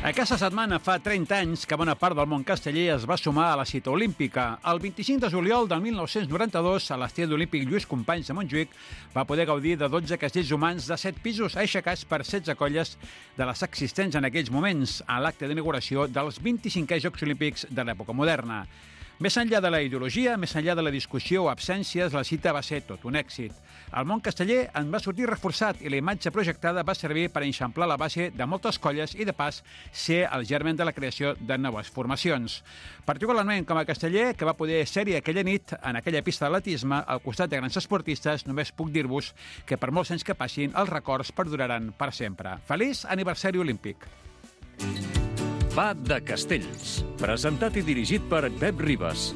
Aquesta setmana fa 30 anys que bona part del món casteller es va sumar a la cita olímpica. El 25 de juliol del 1992, a l'estadi olímpic Lluís Companys de Montjuïc, va poder gaudir de 12 castells humans de 7 pisos aixecats per 16 colles de les existents en aquells moments, a l'acte d'inauguració dels 25è Jocs Olímpics de l'època moderna. Més enllà de la ideologia, més enllà de la discussió o absències, la cita va ser tot un èxit. El món casteller en va sortir reforçat i la imatge projectada va servir per eixamplar la base de moltes colles i, de pas, ser el germen de la creació de noves formacions. Particularment com a casteller, que va poder ser-hi aquella nit en aquella pista d'atletisme al costat de grans esportistes, només puc dir-vos que per molts anys que passin, els records perduraran per sempre. Feliç aniversari olímpic! Va de Castells, presentat i dirigit per Pep Ribas.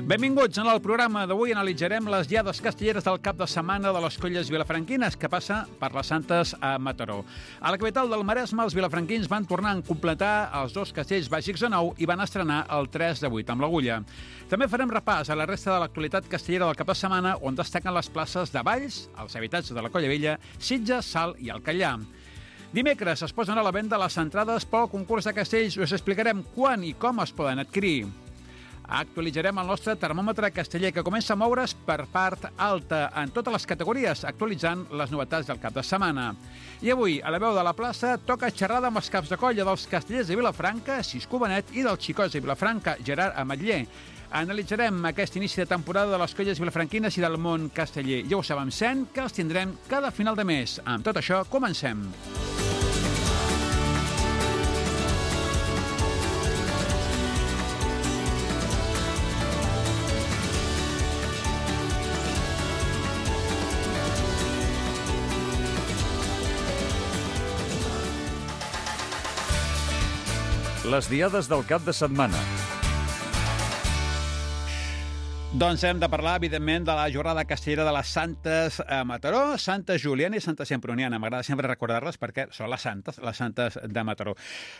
Benvinguts. En el programa d'avui analitzarem les diades castelleres del cap de setmana de les colles vilafranquines, que passa per les Santes a Mataró. A la capital del Maresme, els vilafranquins van tornar a completar els dos castells bàsics de nou i van estrenar el 3 de 8 amb l'Agulla. També farem repàs a la resta de l'actualitat castellera del cap de setmana, on destaquen les places de Valls, els habitatges de la Colla Vella, Sitges, Salt i el Callà. Dimecres es posen a la venda les entrades pel concurs de castells i us explicarem quan i com es poden adquirir. Actualitzarem el nostre termòmetre casteller, que comença a moure's per part alta en totes les categories, actualitzant les novetats del cap de setmana. I avui, a la veu de la plaça, toca xerrada amb els caps de colla dels castellers de Vilafranca, Cisco Benet, i dels xicots de Vilafranca, Gerard Ametller. Analitzarem aquest inici de temporada de les colles vilafranquines i del món casteller. Ja ho sabem, que els tindrem cada final de mes. Amb tot això, comencem. Les diades del cap de setmana. Doncs hem de parlar, evidentment, de la jornada castellera de les Santes a Mataró, Santa Juliana i Santa Semproniana. M'agrada sempre recordar-les perquè són les Santes de Mataró.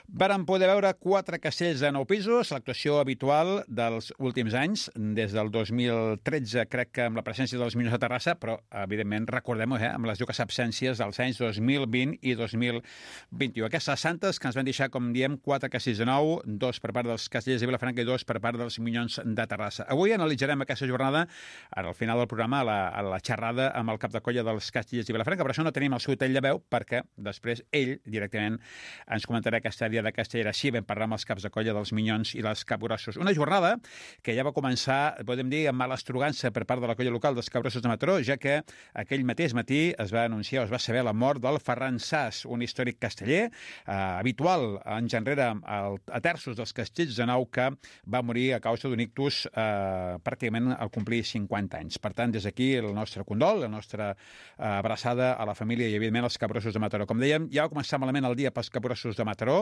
Vàrem poder veure 4 castells de 9 pisos, l'actuació habitual dels últims anys, des del 2013, crec que amb la presència dels Minyons de Terrassa, però, evidentment, recordem-ho, amb les dues absències dels anys 2020 i 2021. Aquestes Santes que ens van deixar, com diem, 4 castells de 9, 2 per part dels castellers de Vilafranca i 2 per part dels Minyons de Terrassa. Avui analitzarem aquesta jornada, ara al final del programa, a la xerrada amb el cap de colla dels castellers de Vilafranca. Per això no tenim el seu tall de veu, perquè després ell directament ens comentarà aquesta diada castellera. Així vam parlar amb els caps de colla dels Minyons i les Capgrossos. Una jornada que ja va començar, podem dir, amb mala estrugança per part de la colla local dels Capgrossos de Mataró, ja que aquell mateix matí es va anunciar, es va saber la mort del Ferran Sas, un històric casteller, habitual anys enrere a terços dels castells de nou, que va morir a causa d'un ictus pràcticament al complir 50 anys. Per tant, des d'aquí el nostre condol, la nostra abraçada a la família i, evidentment, als Capgrossos de Mataró. Com dèiem, ja va començar malament el dia pels Capgrossos de Mataró,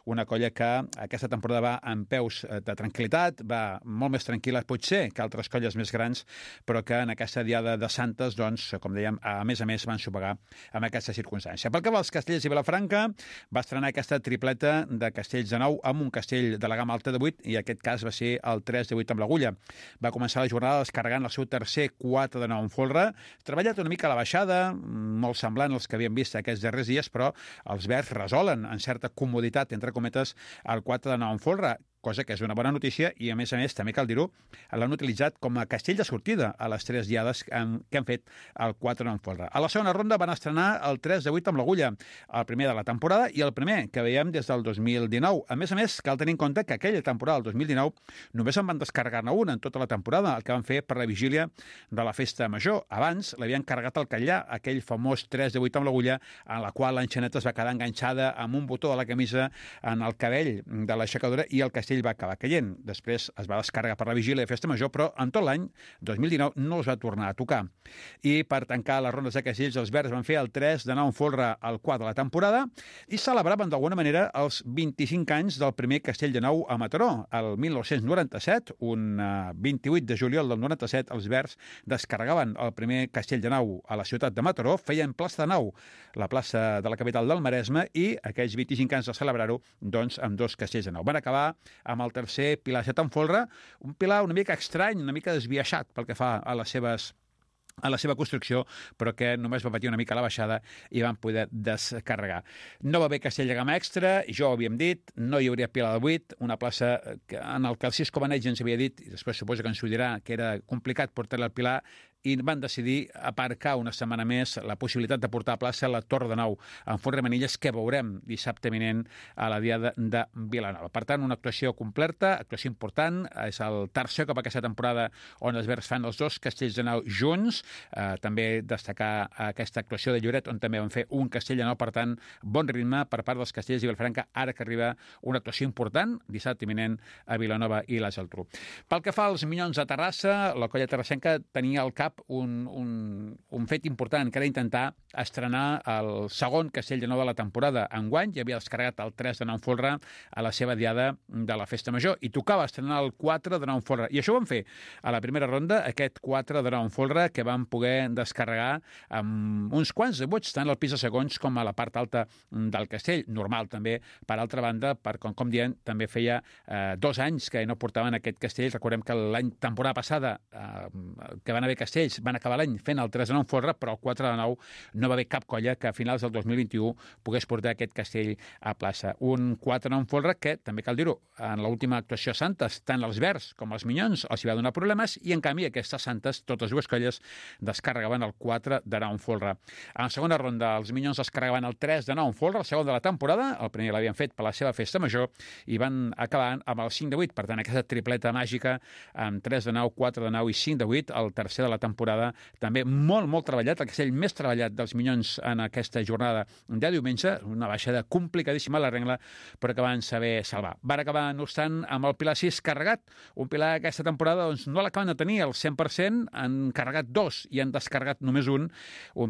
una colla que aquesta temporada va en peus de tranquil·litat, va molt més tranquil·la, potser, que altres colles més grans, però que en aquesta diada de Santes, doncs, com dèiem, a més, van sopegar amb aquesta circumstància. Pel que va als castells de Vilafranca, va estrenar aquesta tripleta de castells de 9 amb un castell de la gamma alta de 8, i aquest cas va ser el 3 de 8 amb l'Agulla. Va començar la jornada descarregant el seu tercer 4 de 9 en folre, treballat una mica a la baixada, molt semblant als que havíem vist aquests darrers dies, però els verds resolen en certa comoditat, entre cometes, el 4 de 9 en folre, cosa que és una bona notícia, i a més, també cal dir-ho, l'han utilitzat com a castell de sortida a les 3 diades que han fet el 4 en folre. A la segona ronda van estrenar el 3 de 8 amb l'Agulla, el primer de la temporada i el primer que veiem des del 2019. A més, cal tenir en compte que aquella temporada, el 2019, només en van descarregar-ne una en tota la temporada, el que van fer per la vigília de la festa major. Abans l'havien carregat al Callà, aquell famós 3 de 8 amb l'Agulla, en la qual l'enxaneta es va quedar enganxada amb un botó de la camisa en el cabell de l'aixecadora i el castell va acabar caient. Després es va descarregar per la vigília de festa major, però en tot l'any 2019 no es va tornar a tocar. I per tancar les rondes de castells, els verds van fer el 3 de 9 en folre al 4 de la temporada i celebraven d'alguna manera els 25 anys del primer castell de 9 a Mataró. El 1997, un 28 de juliol del 97, els verds descarregaven el primer castell de 9 a la ciutat de Mataró, feien plaça de 9, la plaça de la capital del Maresme, i aquells 25 anys de celebrar-ho, doncs, amb 2 castells de 9. Van acabar amb el tercer Pilar 7 en folre, un Pilar una mica estrany, una mica desbiaixat pel que fa a les seves a la seva construcció, però que només va patir una mica la baixada i van poder descarregar. No va haver castell de gamma extra, ja ho havíem dit, no hi hauria pila de 8, una plaça en el que el Cisco Beneig ens havia dit, i després suposo que ens ho dirà, que era complicat portar-la al Pilar, i van decidir aparcar una setmana més la possibilitat de portar a plaça la Torre de Nou en Font Remenilles, que veurem dissabte vinent a la Diada de Vilanova. Per tant, una actuació completa, actuació important, és el tercer cop aquesta temporada on els Verds fan els dos castells de nou junts. També destacar aquesta actuació de Lloret, on també van fer un castell de nou, per tant, bon ritme per part dels castells i Vilafranca, ara que arriba una actuació important, dissabte imminent a Vilanova i la Geltrú. Pel que fa als Minyons de Terrassa, la colla terrassenca tenia al cap un fet important, que era intentar estrenar el segon castell de nou de la temporada. Enguany ja havia descarregat el 3 de nou en folre a la seva diada de la Festa Major i tocava estrenar el 4 de nou en folre. I això ho van fer a la primera ronda, aquest 4 de nou en folre, que van poder descarregar amb uns quants de vots, tant al pis de segons com a la part alta del castell. Normal, també, per altra banda, per com diem, també feia 2 anys que no portaven aquest castell. Recordem que l'any temporada passada, que van haver castells, van acabar l'any fent el 3 de nou en folre, però el 4 de nou no va haver cap colla que a finals del 2021 pogués portar aquest castell a plaça. Un 4 de nou en folre que, també cal dir-ho, en l'última actuació a Santes, tant els Verds com els Minyons els hi va donar problemes i, en canvi, aquestes Santes, totes dues colles, descarregaven el 4 de nou en folre. En la segona ronda, els Minyons descarregaven el 3 de nou en folre, el segon de la temporada, el primer l'havien fet per la seva Festa Major, i van acabar amb el 5 de 8, per tant, aquesta tripleta màgica amb 3 de 9, 4 de 9 i 5 de 8, el tercer de la temporada, també molt treballat, el castell més treballat dels Minyons en aquesta jornada de diumenge, una baixada complicadíssima a la rengla, però que van saber salvar. Van acabar, no obstant, amb el Pilar 6 carregat, un Pilar aquesta temporada doncs, no l'acaben de tenir al 100%, han carregat 2 i han descarregat només un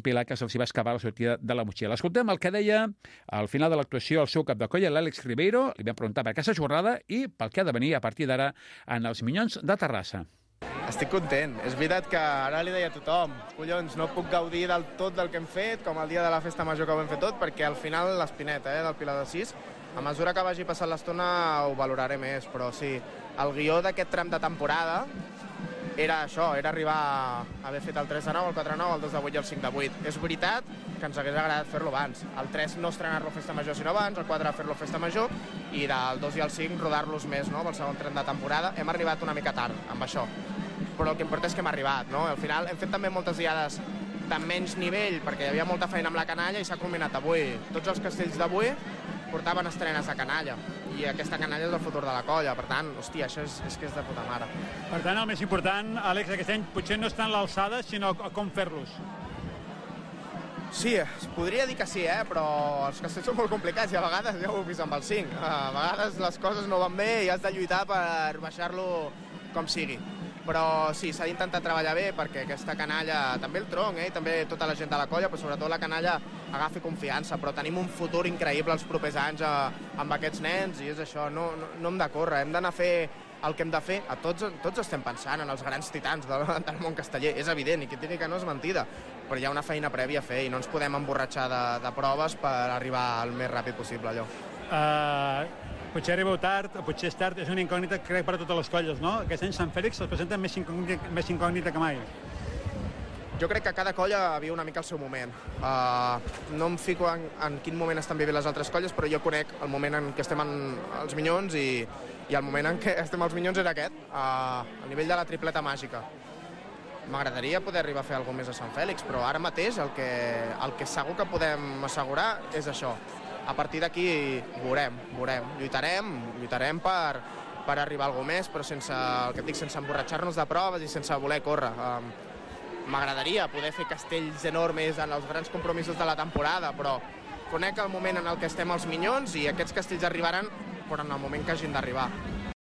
Pilar que se'ls va escapar a la sortida de la motxilla. L'escoltem el que deia al final de l'actuació el seu cap de colla, l'Àlex Ribeiro, li vam preguntar per aquesta jornada i pel que ha de venir a partir d'ara en els Minyons de Terrassa. Estic content. És veritat que ara li deia a tothom, collons, no puc gaudir del tot del que hem fet, com el dia de la Festa Major que ho hem fet tot, perquè al final l'espineta del Pilar de 6, a mesura que vagi passant l'estona ho valoraré més, però sí, el guió d'aquest tram de temporada era això, era arribar a haver fet el 3 de 9, el 4 de 9, el 2 de 8 i el 5 de 8. És veritat que ens hagués agradat fer-lo abans. El 3 no estrenar-lo Festa Major sinó abans, el 4 fer-lo Festa Major i del 2 i el 5 rodar-los més, no?, pel segon tram de temporada. Hem arribat una mica tard amb això, però el que importa és que hem arribat, no? Al final hem fet també moltes diades de menys nivell perquè hi havia molta feina amb la canalla i s'ha culminat avui. Tots els castells d'avui portaven estrenes de canalla i aquesta canalla és el futur de la colla, per tant, hòstia, això és que és de puta mare. Per tant, el més important, Àlex, aquest any potser no està en l'alçada, sinó com fer-los. Sí, es podria dir que sí, però els castells són molt complicats i a vegades ja ho heu vist amb el 5. A vegades les coses no van bé i has de lluitar per baixar-lo com sigui. Però sí, s'ha d'intentar treballar bé perquè aquesta canalla, també el tronc, també tota la gent de la colla, però sobretot la canalla agafi confiança, però tenim un futur increïble els propers anys amb aquests nens i és això, no hem de córrer, hem d'anar a fer el que hem de fer. Tots estem pensant en els grans titans del món casteller, és evident, i qui digui que no és mentida, però hi ha una feina prèvia a fer i no ens podem emborratxar de proves per arribar el més ràpid possible allò. Potser arribeu tard, o potser és tard, és una incògnita crec per a totes les colles, no? Aquest any Sant Fèlix es presenta més incògnita que mai. Jo crec que cada colla viu una mica el seu moment. No em fico en quin moment estan vivint les altres colles, però jo conec el moment en què estem els Minyons i el moment en què estem els Minyons era aquest, a nivell de la tripleta màgica. M'agradaria poder arribar a fer alguna més a Sant Fèlix, però ara mateix el que segur que podem assegurar és això. A partir d'aquí veurem. Lluitarem per arribar a alguna més, però sense, el que et dic, sense emborratxar-nos de proves i sense voler córrer. M'agradaria poder fer castells enormes en els grans compromisos de la temporada, però conec el moment en el que estem els Minyons i aquests castells arribaran però en el moment que hagin d'arribar.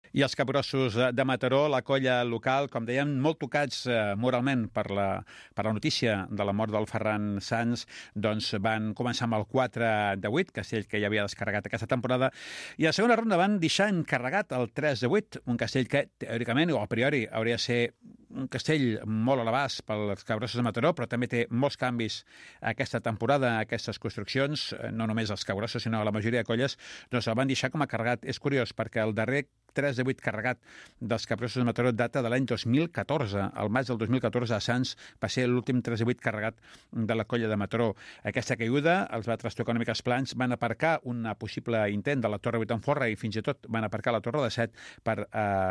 I els capgrossos de Mataró, la colla local, com dèiem, molt tocats moralment per la notícia de la mort del Ferran Sans, doncs van començar amb el 4 de 8, castell que ja havia descarregat aquesta temporada, i a la segona ronda van deixar encarregat el 3 de 8, un castell que, teòricament o a priori, hauria de ser un castell molt a l'abast pels capgrossos de Mataró, però també té molts canvis aquesta temporada, aquestes construccions, no només els capgrossos, sinó la majoria de colles, doncs el van deixar com a carregat. És curiós, perquè el darrer 3 de 8 carregat dels Capgrossos de Mataró data de l'any 2014. Al maig del 2014 a Sants va ser l'últim 3 de 8 carregat de la colla de Mataró. Aquesta caiguda els va trastocar una mica els plans, van aparcar un possible intent de la Torre 8 en Forra i fins i tot van aparcar la Torre de 7 per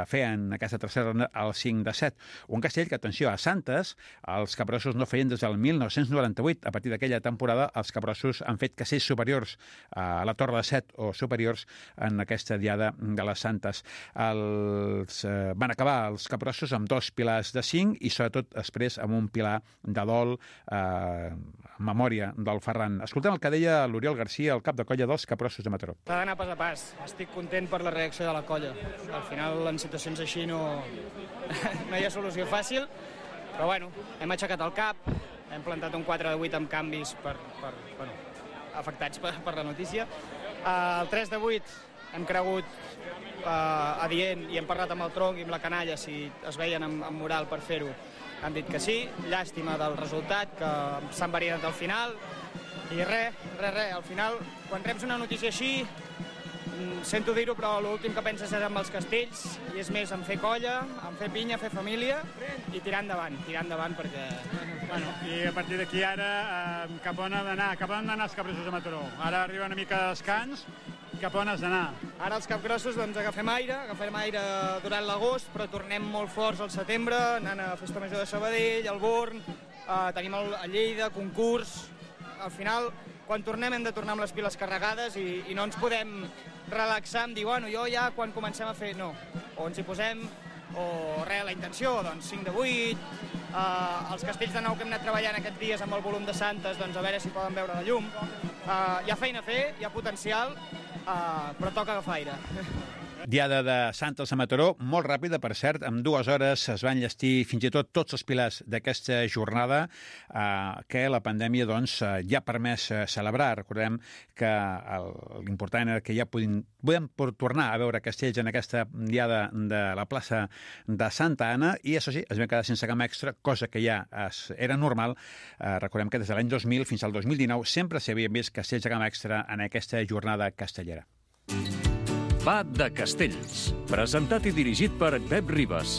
fer en aquesta tercera ronda el 5 de 7. Un castell que, atenció, a Santes els Capgrossos no feien des del 1998. A partir d'aquella temporada els Capgrossos han fet castells superiors a la Torre de 7 o superiors en aquesta diada de les Santes. Van acabar els Capgrossos amb 2 pilars de 5 i sobretot després amb un pilar de dol en memòria del Ferran. Escoltem el que deia l'Oriol Garcia, el cap de colla dels Capgrossos de Mataró. S'ha d'anar pas a pas. Estic content per la reacció de la colla. Al final, en situacions així no hi ha solució fàcil, però bueno, hem aixecat el cap, hem plantat un 4 de 8 amb canvis afectats per la notícia. El 3 de 8 hem cregut adient i hem parlat amb el tronc i amb la canalla si es veien amb moral per fer-ho. Han dit que sí, llàstima del resultat, que s'han variat al final i res. Al final, quan reps una notícia així, sento dir-ho, però l'últim que penses és amb els castells i és més en fer colla, en fer pinya, fer família i tirar endavant perquè... Bueno, i a partir d'aquí ara cap on han d'anar els Capgrossos de Mataró? Ara arriba una mica de descans, cap on has d'anar? Ara els Capgrossos doncs agafem aire durant l'agost, però tornem molt forts al setembre, anant a Festa Major de Sabadell, al Born, tenim a Lleida, concurs... Al final, quan tornem hem de tornar amb les piles carregades i no ens podem relaxar amb dir, bueno, jo ja quan comencem a fer... No, o ens hi posem, o res, la intenció, doncs 5 de 8, els castells de nou que hem anat treballant aquests dies amb el volum de Santes, doncs a veure si poden veure la llum. Hi ha feina a fer, hi ha potencial, però toca agafar aire. Diada de Santes a Mataró, molt ràpida, per cert, amb 2 hores es van llestir fins i tot tots els pilars d'aquesta jornada que la pandèmia doncs, ja ha permès celebrar. Recordem que l'important era que ja podem tornar a veure castells en aquesta diada de la plaça de Santa Anna i, això sí, es van quedar sense camp extra, cosa que ja era normal. Recordem que des de l'any 2000 fins al 2019 sempre s'havien vist castells de camp extra en aquesta jornada castellera. Va de Castells, presentat i dirigit per Pep Ribas.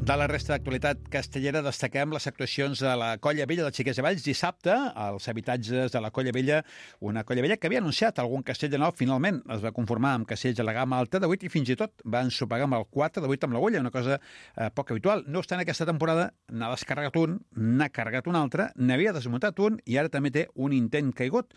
De la resta d'actualitat castellera destaquem les actuacions de la Colla Vella de Xiquets de Valls dissabte als habitatges de la Colla Vella, una Colla Vella que havia anunciat algun castell de nou, finalment es va conformar amb castells de la gamma alta de 8 i fins i tot va ensopegar amb el 4 de 8 amb l'agulla, una cosa poc habitual. No obstant, aquesta temporada n'ha descarregat un, n'ha carregat un altre, n'havia desmuntat un i ara també té un intent caigut.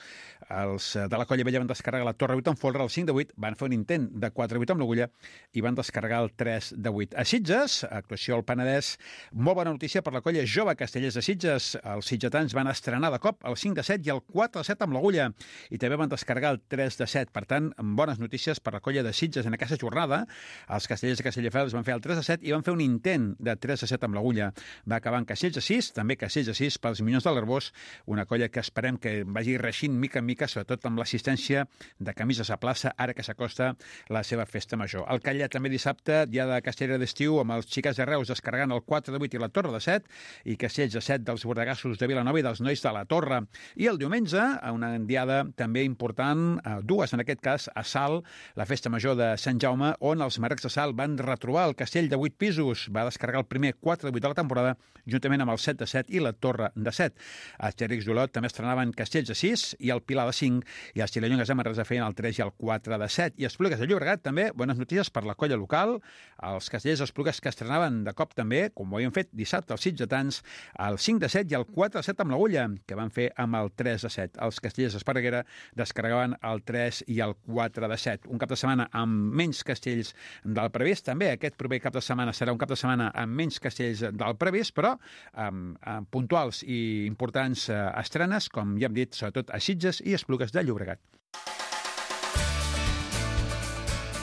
Els de la Colla Vella van descarregar la Torre 8 en folre, el 5 de 8, van fer un intent de 4 de 8 amb l'agulla i van descarregar el 3 de 8. A Sitges, actuació al Penedès, molt bona notícia per la colla jove Castellers de Sitges. Els sitgetans van estrenar de cop el 5 de 7 i el 4 de 7 amb l'agulla i també van descarregar el 3 de 7. Per tant, bones notícies per la colla de Sitges en aquesta jornada. Els Castellers de Castelldefels van fer el 3 de 7 i van fer un intent de 3 de 7 amb l'agulla. Va acabar en Castells de 6, també Castells de 6 pels Minyons de l'Arbós, una colla que esperem que vagi reixint mica en mica, sobretot amb l'assistència de camises a plaça, ara que s'acosta la seva festa major. El Calla també dissabte, dia de Castellera d'estiu, amb els Xiquets de Reus descarregant el 4 de 8 i la Torre de 7, i Castells de 7 dels Bordegassos de Vilanova i dels Nois de la Torre. I el diumenge, una diada també important, dues en aquest cas, a Salt, la festa major de Sant Jaume, on els Marrecs de Salt van retrobar el castell de 8 pisos, va descarregar el primer 4 de 8 de la temporada, juntament amb el 7 de 7 i la Torre de 7. Els Xerics d'Olot també estrenaven castells de 6 i el Pilar de 5, i els Xilellongues de Manresa feien el 3 i el 4 de 7. I Esplugues de Llobregat també, bones notícies per la colla local, els castellers d'Esplugues que estrenaven de cop també, com ho havien fet dissabte els sitgetans, el 5 de 7 i el 4 de 7 amb l'agulla, que van fer amb el 3 de 7. Els castellers d'Esparreguera descarregaven el 3 i el 4 de 7. Un cap de setmana amb menys castells del previst. També aquest proper cap de setmana serà un cap de setmana amb menys castells del previst, però amb puntuals i importants estrenes, com ja hem dit, sobretot a Sitges i Esplugues de Llobregat.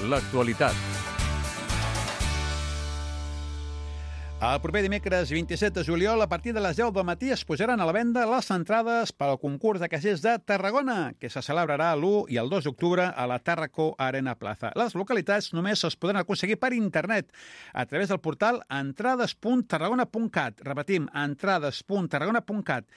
L'actualitat. El proper dimecres 27 de juliol, a partir de les 10 del matí, es posaran a la venda les entrades pel concurs de caixers de Tarragona, que se celebrarà l'1 i el 2 d'octubre a la Tàrraco Arena Plaza. Les localitats només es poden aconseguir per internet, a través del portal entrades.tarragona.cat. Repetim, entrades.tarragona.cat.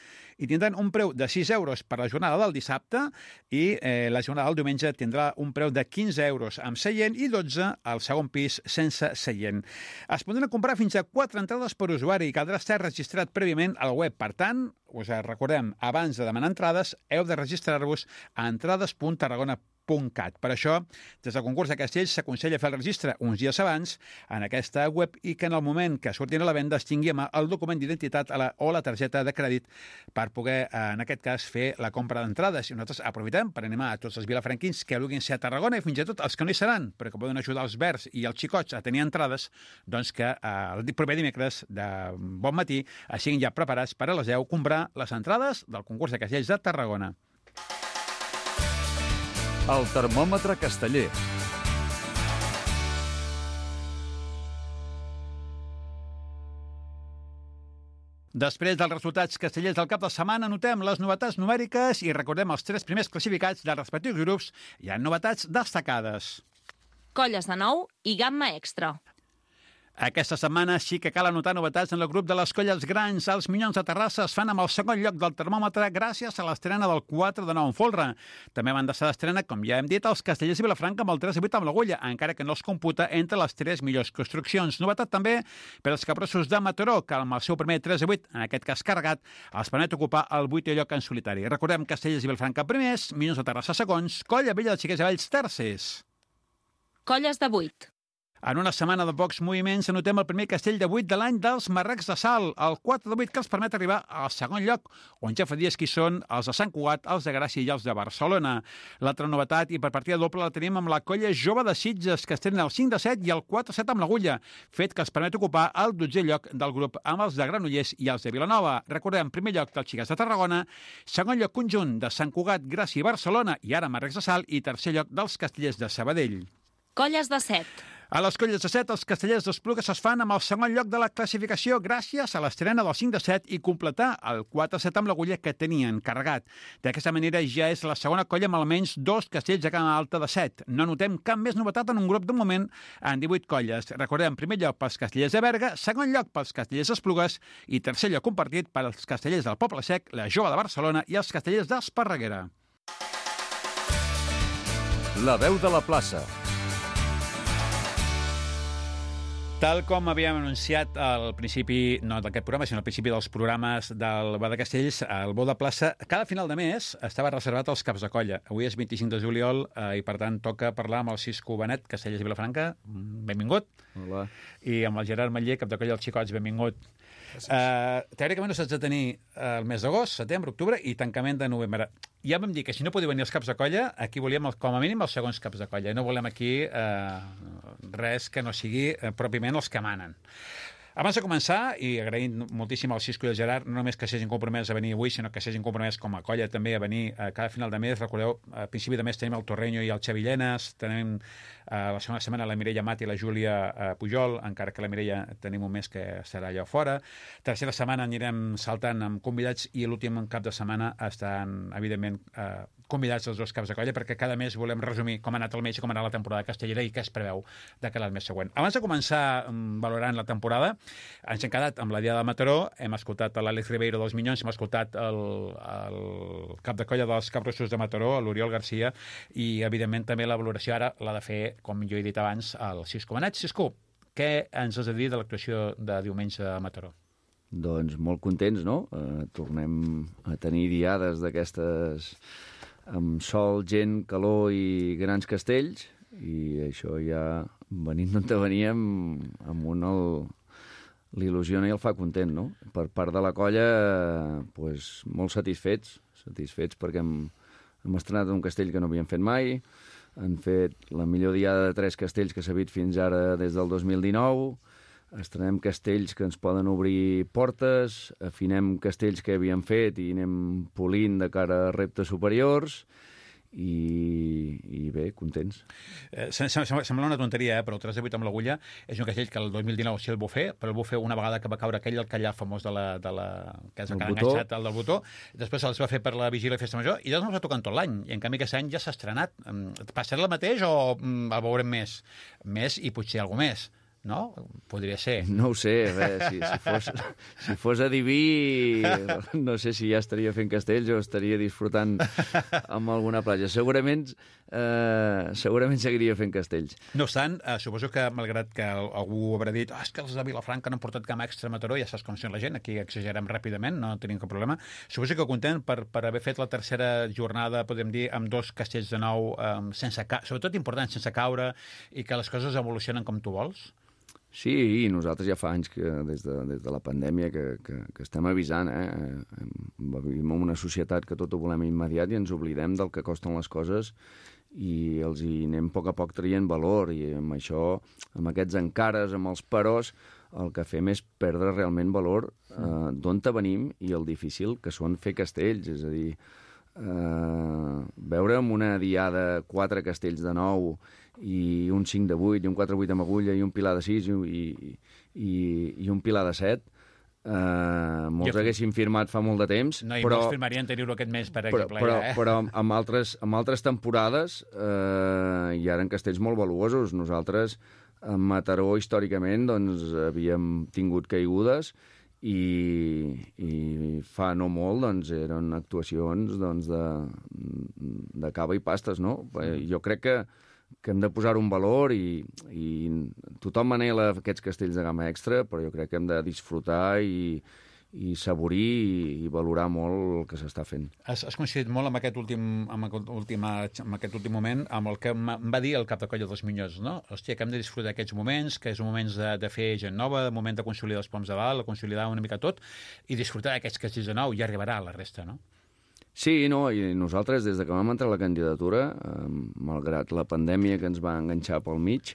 I tindran un preu de 6 euros per la jornada del dissabte i la jornada del diumenge tindrà un preu de 15 euros amb seient i 12 al segon pis sense seient. Es podran comprar fins a 4 entrades per usuari i caldrà estar registrat prèviament al web. Per tant, us recordem, abans de demanar entrades, heu de registrar-vos a entrades.tarragona.cat. Per això, des del concurs de castells s'aconsella fer el registre uns dies abans en aquesta web i que en el moment que surtin a la venda es tingui a mà el document d'identitat o la targeta de crèdit per poder, en aquest cas, fer la compra d'entrades. I nosaltres aprofitem per animar a tots els vilafranquins que vulguin ser a Tarragona i fins i tot els que no hi seran, però que poden ajudar els verds i els xicots a tenir entrades, doncs que el proper dimecres de bon matí siguin ja preparats per a les 10 comprar les entrades del concurs de castells de Tarragona. El termòmetre casteller. Després dels resultats castellers del cap de setmana, notem les novetats numèriques i recordem els 3 primers classificats dels respectius grups. Hi ha novetats destacades. Colles de nou i gamma extra. Aquesta setmana sí que cal anotar novetats en el grup de les colles grans. Els Minyons de Terrassa es fan amb el segon lloc del termòmetre gràcies a l'estrena del 4 de 9 en folre. També van deixar d'estrena, com ja hem dit, els Castellers i Vilafranca amb el 3 de 8 amb l'agulla, encara que no els computa entre les 3 millors construccions. Novetat també per als Capgrossos de Mataró, que amb el seu primer 3 de 8, en aquest cas carregat, els permet ocupar el 8è lloc en solitari. Recordem Castellers i Vilafranca primers, Minyons de Terrassa segons, Colla Vella de Xiquets i Valls tercers. Colles de 8. En una setmana de pocs moviments anotem el primer castell de 8 de l'any dels Marrecs de Salt, el 4 de 8 que els permet arribar al segon lloc, on ja fa dies que hi són els de Sant Cugat, els de Gràcia i els de Barcelona. L'altra novetat, i per partida doble, la tenim amb la colla jove de Sitges, que estrena el 5 de 7 i el 4 de 7 amb l'agulla, fet que els permet ocupar el 12è lloc del grup amb els de Granollers i els de Vilanova. Recordem, primer lloc dels Xiquets de Tarragona, segon lloc conjunt de Sant Cugat, Gràcia i Barcelona, i ara Marrecs de Salt, i tercer lloc dels Castellers de Sabadell. Colles de 7. A les colles de 7, els Castellers d'Esplugues es fan amb el segon lloc de la classificació gràcies a l'estrena del 5 de 7 i completar el 4 de 7 amb l'agulla que tenien carregat. D'aquesta manera ja és la segona colla amb almenys 2 castells de gamma alta de 7. No notem cap més novetat en un grup de moment en 18 colles. Recordem, primer lloc pels Castellers de Berga, segon lloc pels Castellers d'Esplugues i tercer lloc compartit per als Castellers del Poble Sec, la Jove de Barcelona i els Castellers d'Esparreguera. La veu de la plaça. Tal com havíem anunciat al principi, no d'aquest programa, sinó al principi dels programes del Bar de Castells, el Bou de Plaça, cada final de mes estava reservat als caps de colla. Avui és 25 de juliol i, per tant, toca parlar amb el Cisco Benet, Castellers i Vilafranca. Benvingut. Hola. I amb el Gerard Matller, cap de colla dels Xicots. Benvingut. Teòricament no s'ha de tenir el mes d'agost, setembre, octubre i tancament de novembre. Ja vam dir que si no podien venir els caps de colla, aquí volíem com a mínim els segons caps de colla. No volem aquí res que no sigui pròpiament els que manen. Abans de començar, i agraint moltíssim al Cisco i al Gerard, no només que s'hagin compromès a venir avui, sinó que s'hagin compromès com a colla també a venir cada final de mes. Recordeu, a principi de mes tenim el Torreño i el Xavi Llenes, tenim la segona setmana la Mireia Mat i la Júlia Pujol, encara que la Mireia tenim un mes que serà allà fora. Tercera setmana anirem saltant amb convidats i l'últim cap de setmana estan, evidentment, convidats els 2 caps de colla, perquè cada mes volem resumir com ha anat el mes i com ha anat la temporada castellera i què es preveu de cara al mes següent. Abans de començar valorant la temporada, ens hem quedat amb la Diada de Mataró, hem escoltat l'Àlex Ribeiro dels Minyons, hem escoltat el cap de colla dels Capgrossos de Mataró, l'Oriol Garcia, i evidentment també la valoració ara l'ha de fer, com jo he dit abans, el Cisco Benet. Cisco, què ens has de dir de l'actuació de diumenge a Mataró? Doncs molt contents, no? Tornem a tenir diades d'aquestes amb sol, gent, calor i grans castells, i això ja, venint d'on veníem, amb l'il·lusiona i el fa content, no? Per part de la colla, doncs, molt satisfets perquè hem estrenat un castell que no havíem fet mai, han fet la millor diada de 3 castells que s'ha vist fins ara des del 2019, estrenem castells que ens poden obrir portes, afinem castells que havíem fet i anem polint de cara a reptes superiors, i bé, contents. Sembla una tonteria, però el 3 de 8 amb l'agulla és un castell que el 2019 sí el va fer, però el va fer una vegada que va caure aquell, el callar famós que és el que ha enganxat, el del botó. Després els va fer per la vigília i festa major, i llavors no va tocar tot l'any, i en canvi aquest any ja s'ha estrenat. Passarà el mateix o el veurem més? Més i potser alguna més. No? Podria ser. No ho sé, si fos adiví, no sé si ja estaria fent castells o estaria disfrutant amb alguna platja. Segurament seguiria fent castells. No obstant, suposo que, malgrat que algú haurà dit és que els de Vilafranca no han portat gamma extra a Mataró, ja saps com sent la gent, aquí exagerem ràpidament, no tenim cap problema. Suposo que content per haver fet la tercera jornada, podem dir, amb 2 castells de nou, sobretot important, sense caure, i que les coses evolucionen com tu vols? Sí, i nosaltres ja fa anys que des de la pandèmia que estem avisant. Vivim en una societat que tot ho volem immediat i ens oblidem del que costen les coses i els hi anem a poc traient valor, i amb això, amb aquests encares, amb els peròs, el que fem és perdre realment valor d'on venim i el difícil que són fer castells. És a dir, veure amb una diada 4 castells de 9 i un 5 de 8 i un 4-8 amb agulla i un pilar de 6 i un pilar de 7, molts haguessin firmat fa molt de temps. No, i molts firmarien tenir-ho aquest mes, per exemple. Però amb altres temporades hi eren castells molt valuosos. Nosaltres, a Mataró, històricament, doncs, havíem tingut caigudes i fa no molt doncs, eren actuacions doncs, de cava i pastes, no? Jo crec que hem de posar un valor i tothom anhela aquests castells de gamma extra, però jo crec que hem de disfrutar i saborir i valorar molt el que s'està fent. Has coincidit molt amb aquest últim moment, amb el que em va dir el cap de colla dels Minyons, no? Hòstia, que hem de disfrutar aquests moments, que és un moment de fer gent nova, un moment de consolidar els poms de dalt, de consolidar una mica tot, i disfrutar d'aquests castells de nou, i arribarà a la resta, no? Sí, no, i nosaltres, des que vam entrar a la candidatura, malgrat la pandèmia que ens va enganxar pel mig,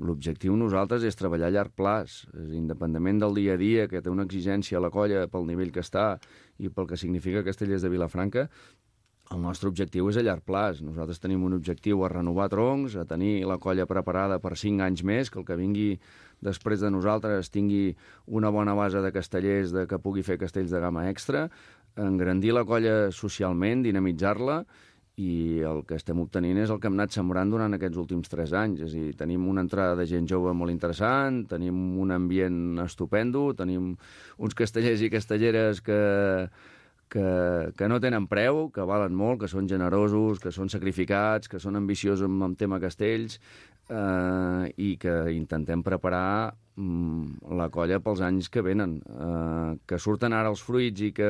l'objectiu nosaltres és treballar a llarg plaç, independentment del dia a dia, que té una exigència a la colla pel nivell que està i pel que significa Castellers de Vilafranca. El nostre objectiu és a llarg plaç. Nosaltres tenim un objectiu a renovar troncs, a tenir la colla preparada per 5 anys més, que el que vingui després de nosaltres tingui una bona base de castellers que pugui fer castells de gamma extra, engrandir la colla socialment, dinamitzar-la, i el que estem obtenint és el que hem anat sembrant durant aquests últims 3 anys. És a dir, tenim una entrada de gent jove molt interessant, tenim un ambient estupendo, tenim uns castellers i castelleres que no tenen preu, que valen molt, que són generosos, que són sacrificats, que són ambiciosos amb el tema castells, i que intentem preparar la colla pels anys que venen. Que surten ara els fruits i que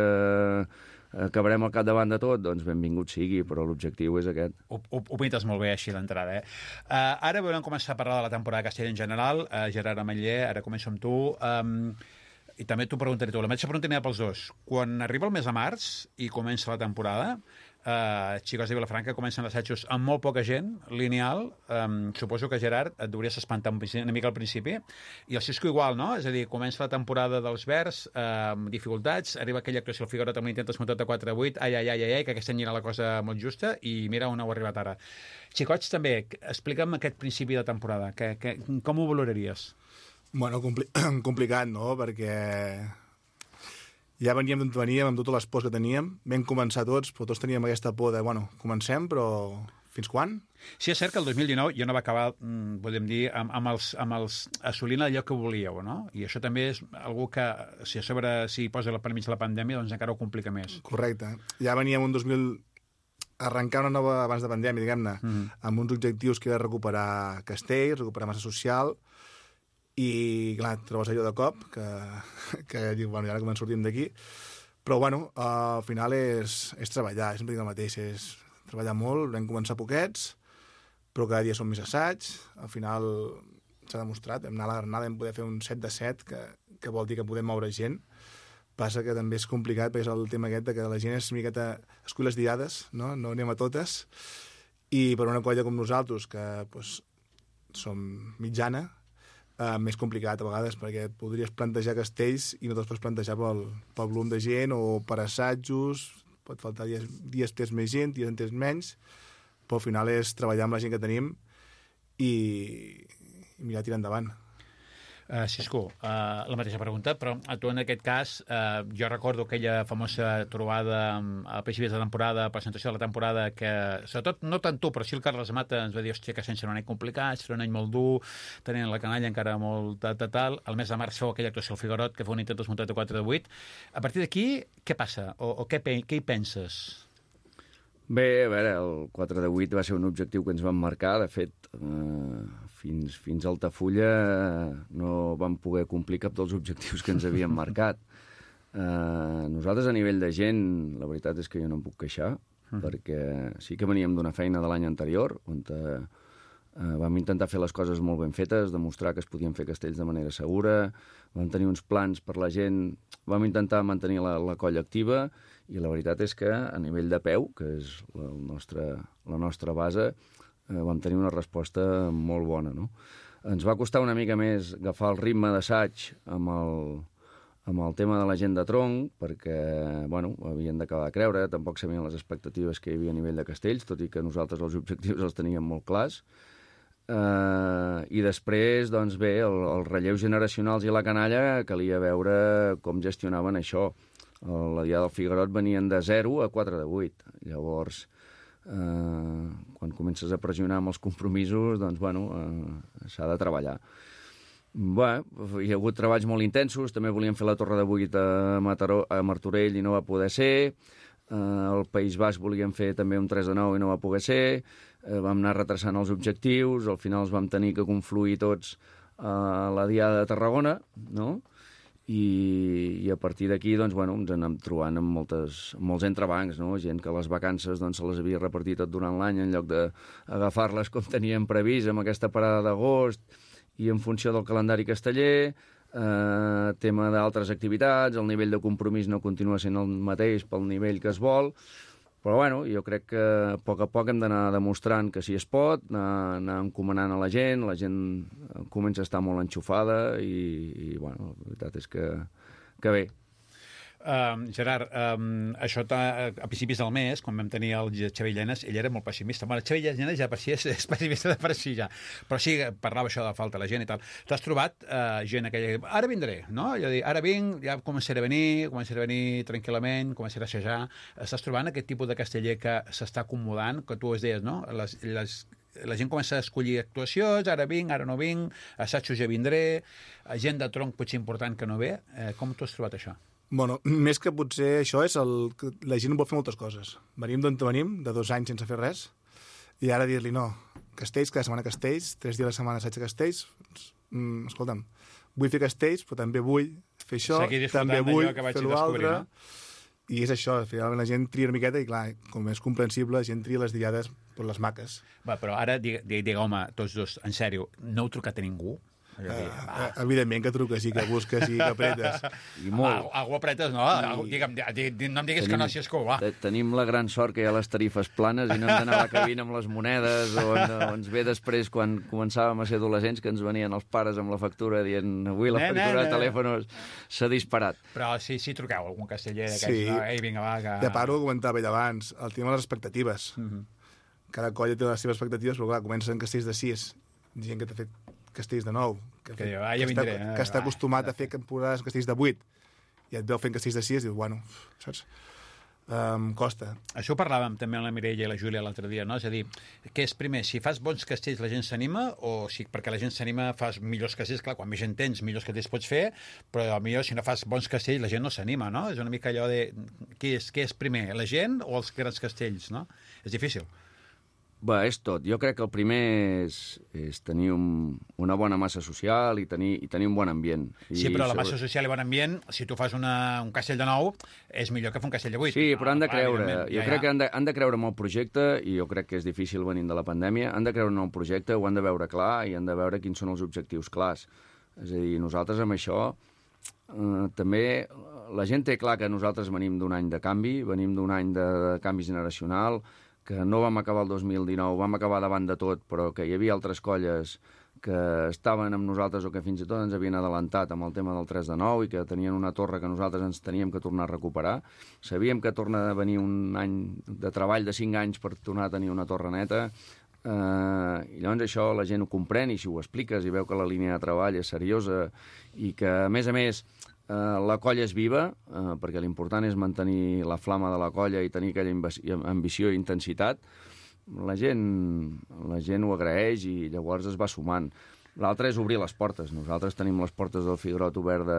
acabarem al capdavant de tot, doncs benvingut sigui, però l'objectiu és aquest. Ho pintes molt bé així d'entrada, Ara volem començar a parlar de la temporada de Castella en general. Gerard Ametller, ara començo amb tu. I també t'ho preguntaré tu. La mateixa pregunta n'hi ha pels dos. Quan arriba el mes de març i comença la temporada, Xicos de Vilafranca comencen assajos amb molt poca gent, lineal. Suposo que, Gerard, et hauries espantar una mica al principi. I el Cisco igual, no? És a dir, comença la temporada dels Verds, amb dificultats, arriba aquella actuació al Figueroa amb l'intent desmuntat de 4-8, que aquest any era la cosa molt justa, i mira on heu arribat ara. Xicots, també, explica'm aquest principi de temporada. Com ho valoraries? Bueno, complicat, no? Perquè ja veníem d'on veníem, amb totes les pors que teníem. Vam començar tots, però tots teníem aquesta por de, comencem, però fins quan? Sí, és cert que el 2019 ja no va acabar, podem dir, amb els assolint allò que volíeu, no? I això també és algú que, si a sobre s'hi posa per mig la pandèmia, doncs encara ho complica més. Correcte. Ja veníem un 2000... arrencar una nova abans de pandèmia, diguem-ne, amb uns objectius que era recuperar castells, recuperar massa social, i, clar, trobes allò de cop, que dius, i ara com ens sortim d'aquí. Però, al final és treballar, sempre dic el mateix, és treballar molt, vam començar poquets, però cada dia són més assaigs, al final s'ha demostrat, vam anar a la Granada, vam poder fer un 7 de 7, que vol dir que podem moure gent. Passa que també és complicat, perquè és el tema aquest que la gent és una miqueta escull les diades, no anem a totes, i per una colla com nosaltres, que som mitjana, més complicat a vegades, perquè podries plantejar castells i no te'ls pots plantejar pel volum de gent o per assajos, pot faltar dies tens més gent, dies en tens menys, però al final és treballar amb la gent que tenim i mirar tirar endavant. Cisco, la mateixa pregunta, però tu en aquest cas, jo recordo aquella famosa trobada a principis de temporada, presentació de la temporada, que sobretot, no tant tu, però sí el Carles Mata ens va dir, hòstia, que sense un any complicat, serà un any molt dur, tenint la canalla encara molt tal. Al mes de març feu aquella actuació al Figuerot, que fou un intent 4-8. A partir d'aquí, què passa? O què hi penses? Bé, a veure, el 4-8 va ser un objectiu que ens vam marcar. De fet, fins a Altafulla no vam poder complir cap dels objectius que ens havíem marcat. Nosaltres, a nivell de gent, la veritat és que jo no em puc queixar, perquè sí que veníem d'una feina de l'any anterior, on vam intentar fer les coses molt ben fetes, demostrar que es podien fer castells de manera segura, vam tenir uns plans per la gent, vam intentar mantenir la colla activa, i la veritat és que a nivell de peu, que és la nostra base, vam tenir una resposta molt bona, no? Ens va costar una mica més agafar el ritme d'assaig amb el tema de la gent de tronc, perquè, bueno, havien d'acabar de creure, tampoc sabien les expectatives que hi havia a nivell de castells, tot i que nosaltres els objectius els teníem molt clars. I després, doncs bé, els relleus generacionals i la canalla calia veure com gestionaven això. La Diada del Figuerot venien de 0 a 4-8. Llavors, quan comences a pressionar amb els compromisos, doncs, bueno, s'ha de treballar. Bé, hi ha hagut treballs molt intensos, també volíem fer la Torre de 8 a Martorell i no va poder ser, al País Basc volíem fer també un 3-9 i no va poder ser, vam anar retrasant els objectius, al final els vam tenir que confluir tots a la Diada de Tarragona, no?, i a partir d'aquí, doncs, bueno, ens anem trobant amb molts entrebancs, no? Gent que les vacances doncs, se les havia repartit tot durant l'any en lloc d'agafar-les com teníem previst amb aquesta parada d'agost i en funció del calendari casteller, tema d'altres activitats, el nivell de compromís no continua sent el mateix pel nivell que es vol, però bueno, jo crec que a poc hem d'anar demostrant que sí es pot, anar encomanant a la gent comença a estar molt enxufada i bueno, la veritat és que bé. Gerard, això a principis del mes, quan vam tenir el Xavier Llenes, ell era molt pessimista. Bueno, el Xavier Llenes ja per si és pessimista de per si ja, però sí, parlava això de la falta de la gent i tal. T'has trobat gent aquella... Ara vindré, no? Jo dic, ara vinc, ja començaré a venir tranquil·lament, començaré a assajar. Estàs trobant aquest tipus de casteller que s'està acomodant, que tu es deies, no? La gent comença a escollir actuacions, ara vinc, ara no vinc, assajos ja vindré, gent de tronc potser important que no ve. Com tu has trobat això? Bueno, més que potser això és la gent vol fer moltes coses. Venim d'on venim, de 2 anys sense fer res, i ara dir-li no, castells, cada setmana castells, 3 dies a la setmana assaig de castells, escolta'm, vull fer castells, però també vull fer això, també vull fer l'altre, no? I és això, finalment la gent tria una miqueta i clar, com és comprensible, la gent tria les diades per les maques. Va, però ara, digue, home, tots dos, en sèrio, no heu trucat a ningú? Evidentment que truques i que busques i que apretes. I molt. Algú apretes, no? No em diguis que no, si és que ho va. Tenim la gran sort que hi ha les tarifes planes i no hem d'anar a la cabina amb les monedes o ens ve després quan començàvem a ser adolescents que ens venien els pares amb la factura dient avui la factura de telèfons s'ha disparat. Però sí truqueu algun casteller d'aquests, no? Ei, vinga, va, que... De part ho comentava ell abans, el tema de les expectatives. Cada colla té les seves expectatives, però clar, comencen castells de 6, gent que t'ha fet castells de 9, que està acostumat a fer temporades castells de 8, i et veu fent castells de 6 i dius, bueno, saps? Costa. Això ho parlàvem també amb la Mireia i la Júlia l'altre dia, no? És a dir, què és primer, si fas bons castells la gent s'anima, o si perquè la gent s'anima fas millors castells, clar, quan més gent tens, millors castells pots fer, però potser si no fas bons castells la gent no s'anima, no? És una mica allò de què és primer, la gent o els grans castells, no? És difícil. Bé, és tot. Jo crec que el primer és tenir una bona massa social i tenir un bon ambient. Sí, però la massa social i bon ambient, si tu fas un castell de 9, és millor que fer un castell de 8. Sí, però han de creure. Jo crec que han de creure en el projecte, i jo crec que és difícil venint de la pandèmia, han de creure en el projecte, ho han de veure clar i han de veure quins són els objectius clars. És a dir, nosaltres amb això també la gent té clar que nosaltres venim d'un any de canvi, venim d'un any de canvi generacional, que no vam acabar el 2019, vam acabar davant de tot, però que hi havia altres colles que estaven amb nosaltres o que fins i tot ens havien adelantat amb el tema del 3 de 9 i que tenien una torre que nosaltres ens teníem que tornar a recuperar. Sabíem que torna a venir un any de treball de 5 anys per tornar a tenir una torre neta, i llavors això la gent ho comprèn i si ho expliques i veu que la línia de treball és seriosa i que, a més, la colla és viva, perquè l'important és mantenir la flama de la colla i tenir aquella ambició i intensitat, la gent ho agraeix i llavors es va sumant. L'altre és obrir les portes. Nosaltres tenim les portes del Figuerot obert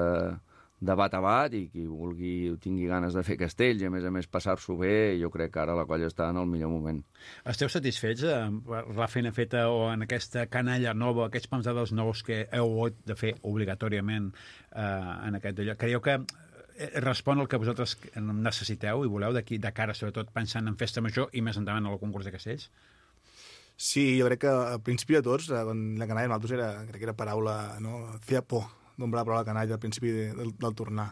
de bat a bat i qui vulgui o tingui ganes de fer castells i, a més, passar-s'ho bé, jo crec que ara la colla està en el millor moment. Esteu satisfets per la feina feta o en aquesta canalla nova, aquests pensadors nous que heu hagut de fer obligatòriament en aquest lloc? Creieu que respon al que vosaltres necessiteu i voleu d'aquí de cara, sobretot pensant en Festa Major i més endavant en el concurs de castells? Sí, jo crec que al principi de tots, quan la canalla nosaltres crec que era paraula, no? Feia por nombrar la paraula canalla al principi del tornar,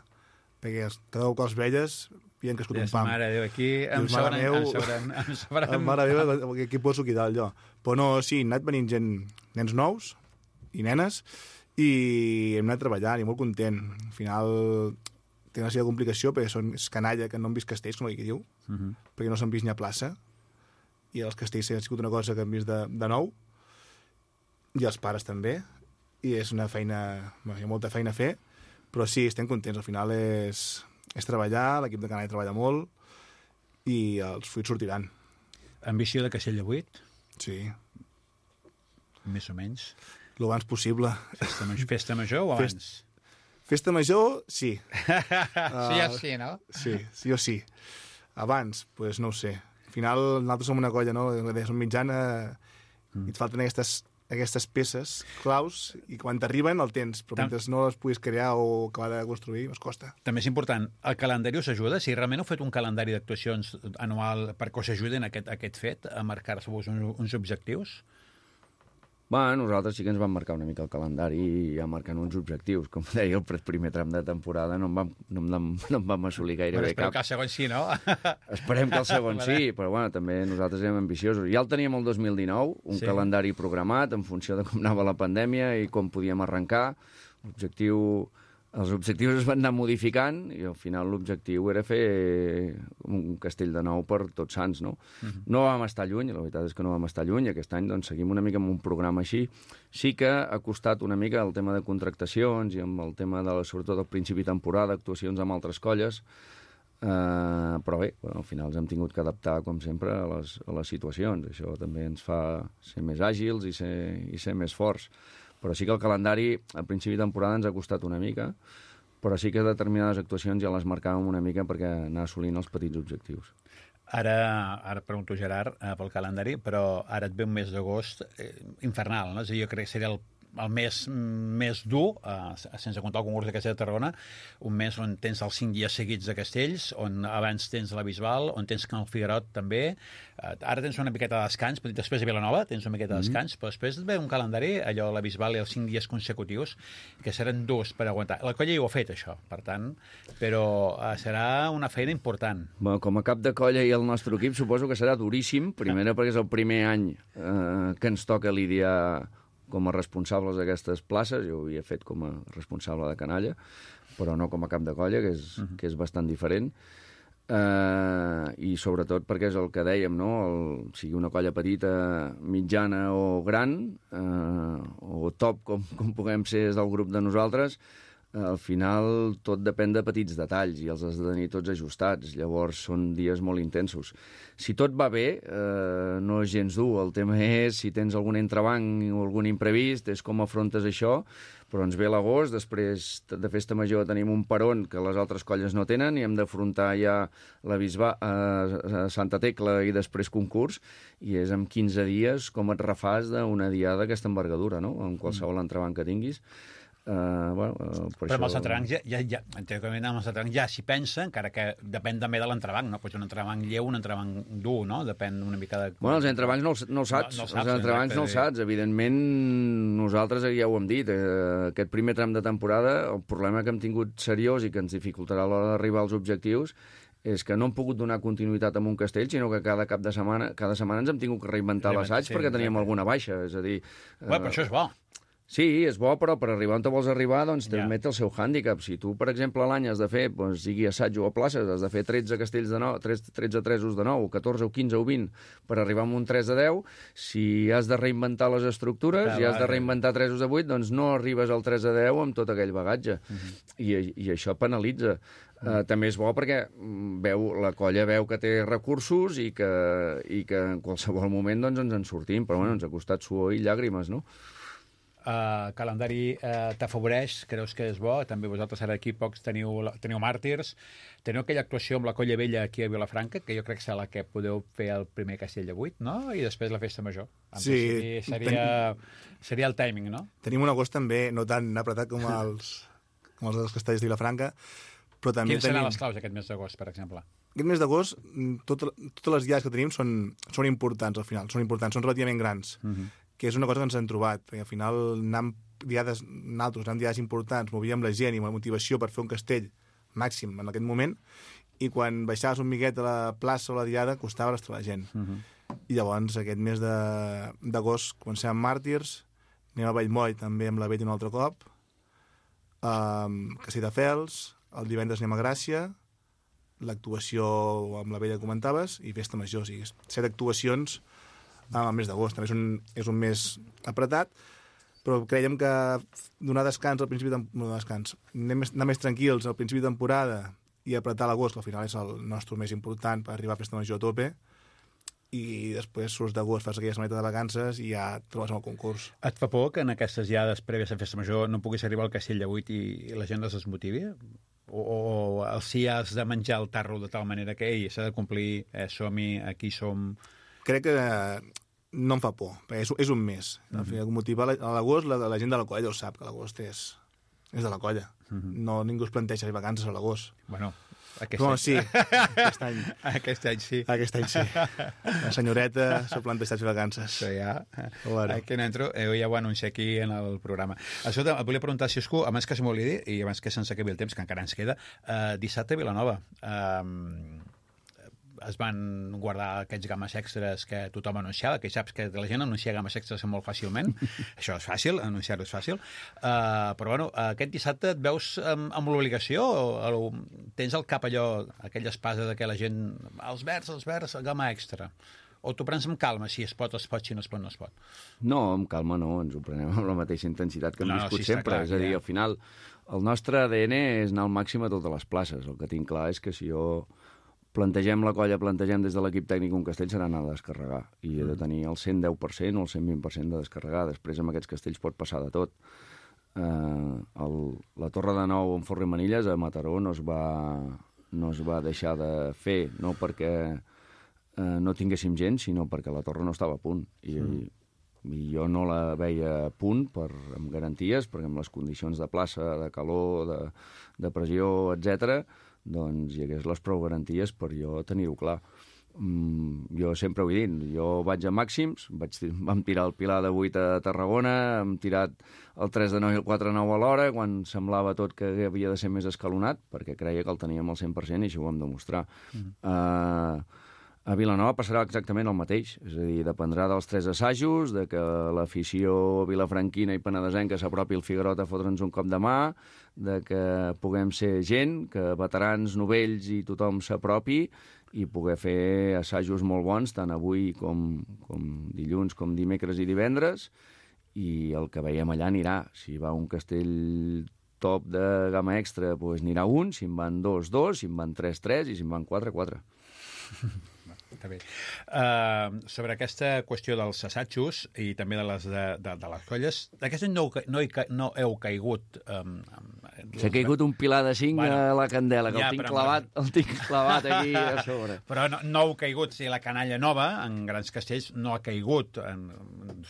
perquè cada cop que els veies havien crescut un pam. Mare de Déu, aquí em sobren... Mare meva, aquí poso aquí dalt jo. Però no, sí, han anat venint nens nous i nenes, i hem anat treballant i molt content. Al final té una sèrie de complicació perquè és canalla que no han vist castells, com aquí diu, perquè no s'han vist ni a plaça, i els castells ha sigut una cosa que han vist de nou, i els pares també, i és una feina, hi ha molta feina a fer, però sí, estem contents. Al final és treballar, l'equip de canalla treballa molt, i els fruits sortiran. Ambició de castell de 8? Sí. Més o menys? Lo abans possible. Festa Major o abans? Festa Major, sí. Sí o sí, no? Sí o sí. Abans, doncs no ho sé. Al final, nosaltres som una colla, no? Som mitjana, i et falten aquestes peces claus, i quan t'arriben el tens, però mentre no les puguis crear o acabar de construir, es costa. També és important, el calendari us ajuda? Si realment heu fet un calendari d'actuacions anual perquè us ajuden a aquest fet, a marcar-vos uns objectius? Nosaltres sí que ens vam marcar una mica el calendari i ja marcant uns objectius. Com deia, el primer tram de temporada no en vam assolir gairebé cap. Esperem que el segon sí, no? Esperem que el segon sí, però també nosaltres érem ambiciosos. Ja el teníem el 2019, un calendari programat en funció de com anava la pandèmia i com podíem arrencar. Els objectius es van anar modificant i al final l'objectiu era fer un castell de nou per Tots Sants, no? No vam estar lluny, la veritat és que no vam estar lluny, aquest any doncs seguim una mica amb un programa així. Sí que ha costat una mica el tema de contractacions i amb el tema, sobretot al principi de temporada, actuacions amb altres colles, però bé, al final ens hem tingut que adaptar, com sempre, a les situacions. Això també ens fa ser més àgils i ser més forts. Però sí que el calendari, al principi de temporada, ens ha costat una mica, però sí que determinades actuacions ja les marcàvem una mica perquè anar assolint els petits objectius. Ara pregunto, Gerard, pel calendari, però ara et ve un mes d'agost infernal, no? És a dir, jo crec que seria el més dur, sense comptar el concurs de Castell de Tarragona, un mes on tens els 5 dies seguits de castells, on abans tens la Bisbal, on tens Can Figuerot també. Ara tens una miqueta de descans, després de Vilanova tens una miqueta de descans, però després et ve un calendari, allò, la Bisbal i els 5 dies consecutius, que seran durs per aguantar. La colla ja ho ha fet, això, per tant, però serà una feina important. Com a cap de colla i el nostre equip suposo que serà duríssim, primera perquè és el primer any que ens toca lidiar com a responsables d'aquestes places. Jo ho havia fet com a responsable de canalla, però no com a cap de colla, que és bastant diferent. I sobretot perquè és el que dèiem, no? Sigui una colla petita, mitjana o gran, o top, com puguem ser del grup de nosaltres, al final tot depèn de petits detalls i els has de tenir tots ajustats. Llavors són dies molt intensos. Si tot va bé, no és gens dur. El tema és si tens algun entrebanc o algun imprevist, és com afrontes això, però ens ve l'agost, després de Festa Major tenim un peron que les altres colles no tenen i hem d'afrontar ja la Bisbal a Santa Tecla i després concurs, i és en 15 dies com et refàs d'una diada d'aquesta envergadura, no? En qualsevol entrebanc que tinguis. Però amb els entrebancs ja s'hi pensa, encara que depèn també de l'entrebanc, no? Pues un entrebanc lleu, un entrebanc dur, no? Depèn una mica de... Bueno, els entrebancs no els saps. Els entrebancs no els saps. Evidentment, nosaltres ja ho hem dit, aquest primer tram de temporada, el problema que hem tingut seriós i que ens dificultarà a l'hora d'arribar als objectius és que no hem pogut donar continuïtat amb un castell, sinó que cada setmana ens hem tingut que reinventar l'assaig perquè teníem alguna baixa. És a dir... Però això és bo. Sí, és bo, però per arribar on te vols arribar, doncs també té el seu hàndicap. Si tu, per exemple, a l'any has de fer, doncs, sigui assaig o a places, has de fer 13 castells de 9, 13 tresos de 9, 14 o 15 o 20 per arribar a un 3 de 10, si has de reinventar les estructures i has de reinventar tresos de 8, doncs no arribes al 3 de 10 amb tot aquell bagatge. I això penalitza. També és bo perquè la colla veu que té recursos i que en qualsevol moment doncs, ens en sortim, però bueno, ens ha costat suor i llàgrimes, no? Calendari t'afavoreix, creus que és bo? També vosaltres ara aquí pocs teniu màrtirs. Teniu aquella actuació amb la Colla Vella aquí a Vilafranca, que jo crec que és la que podeu fer el primer castell de 8, no? I després la festa major. Sí. Seria el timing, no? Tenim un agost també no tan apretat com els dels castells de Vilafranca, però també Quins seran les claus aquest mes d'agost, per exemple? Aquest mes d'agost, totes les diades que tenim són importants, al final. Són relativament grans. Que és una cosa que ens hem trobat, perquè al final anàvem diades importants, movíem la gent i la motivació per fer un castell màxim en aquest moment, i quan baixaves un miquet a la plaça o a la diada costava l'estar la gent. I llavors aquest mes d'agost comencem amb màrtirs, anem a Vallmoll també amb la Vella un altre cop, Castelldefels, el divendres anem a Gràcia, l'actuació amb la Vella que comentaves, i festa major, o sigui, 7 actuacions al mes d'agost. També és un mes apretat, però creiem que donar descans al principi anar més tranquils al principi de temporada i apretar l'agost, que al final és el nostre més important per arribar a festa major a tope, i després surts d'agost, fas aquella setmaneta de vacances i ja et trobes amb el concurs. Et fa por que en aquestes diades prèvies a festa major no puguis arribar al castell de 8 i la gent es desmotivi? O si has de menjar el tarro de tal manera que s'ha de complir, som-hi, aquí som... Crec que no em fa por, perquè és un mes. Al final, motivar a l'agost, la gent de la colla ho sap, que l'agost és de la colla. No, ningú es planteja vacances a l'agost. Bueno, sí, aquest any. Aquest any sí. Aquest any sí. La senyoreta s'ha plantejat vacances. Això ja... Bueno. Aquí no entro, ja ho anuncio aquí en el programa. Escolta, et volia preguntar, si escú, abans que se m'oblidi, i abans que se'ns acabi el temps, que encara ens queda, dissabte a Vilanova. Es van guardar aquests games extras que tothom anunciava, que saps que la gent anuncia games extras molt fàcilment. Això és fàcil, anunciar-ho és fàcil. Però bueno, aquest dissabte et veus amb l'obligació? Tens al cap allò, aquella espasa de que la gent... Els verds, gama extra. O t'ho prens amb calma, si es pot, si no es pot, no es pot? No, amb calma no, ens ho prenem amb la mateixa intensitat que hem viscut sempre. Clar, és a dir, al final, el nostre ADN és anar al màxim a totes les places. El que tinc clar és que si jo plantegem la colla, plantegem des de l'equip tècnic un castell, serà anar a descarregar. I he de tenir el 110% o el 120% de descarregar. Després, amb aquests castells pot passar de tot. La Torre de Nou en Forri Manilles a Mataró no es va deixar de fer, no perquè no tinguéssim gent, sinó perquè la torre no estava a punt. I jo no la veia a punt amb garanties, perquè amb les condicions de plaça, de calor, de pressió, etc., doncs hi hagués les prou garanties per jo tenir-ho clar. Jo sempre ho he dit, jo vaig a màxims, vam tirar el Pilar de 8 a Tarragona, hem tirat el 3 de 9 i el 4 de 9 a l'hora, quan semblava tot que havia de ser més escalonat, perquè creia que el teníem al 100% i això ho vam demostrar. A Vilanova passarà exactament el mateix, és a dir, dependrà dels 3 assajos, de que l'afició vilafranquina i penedesenca s'apropi al Figuerot a fotre'ns un cop de mà, de que puguem ser gent, que veterans, novells i tothom s'apropi i poder fer assajos molt bons, tant avui com dilluns, com dimecres i divendres, i el que veiem allà anirà. Si va un castell top de gamma extra, doncs anirà un, si en van 2, si en van 3, i si en van 4. Està bé. Sobre aquesta qüestió dels assajos i també de les colles, aquest any no heu caigut... S'ha caigut un pilar de 5 a la candela, que el tinc clavat aquí a sobre. Però no heu caigut, si la canalla nova, en grans castells, no ha caigut.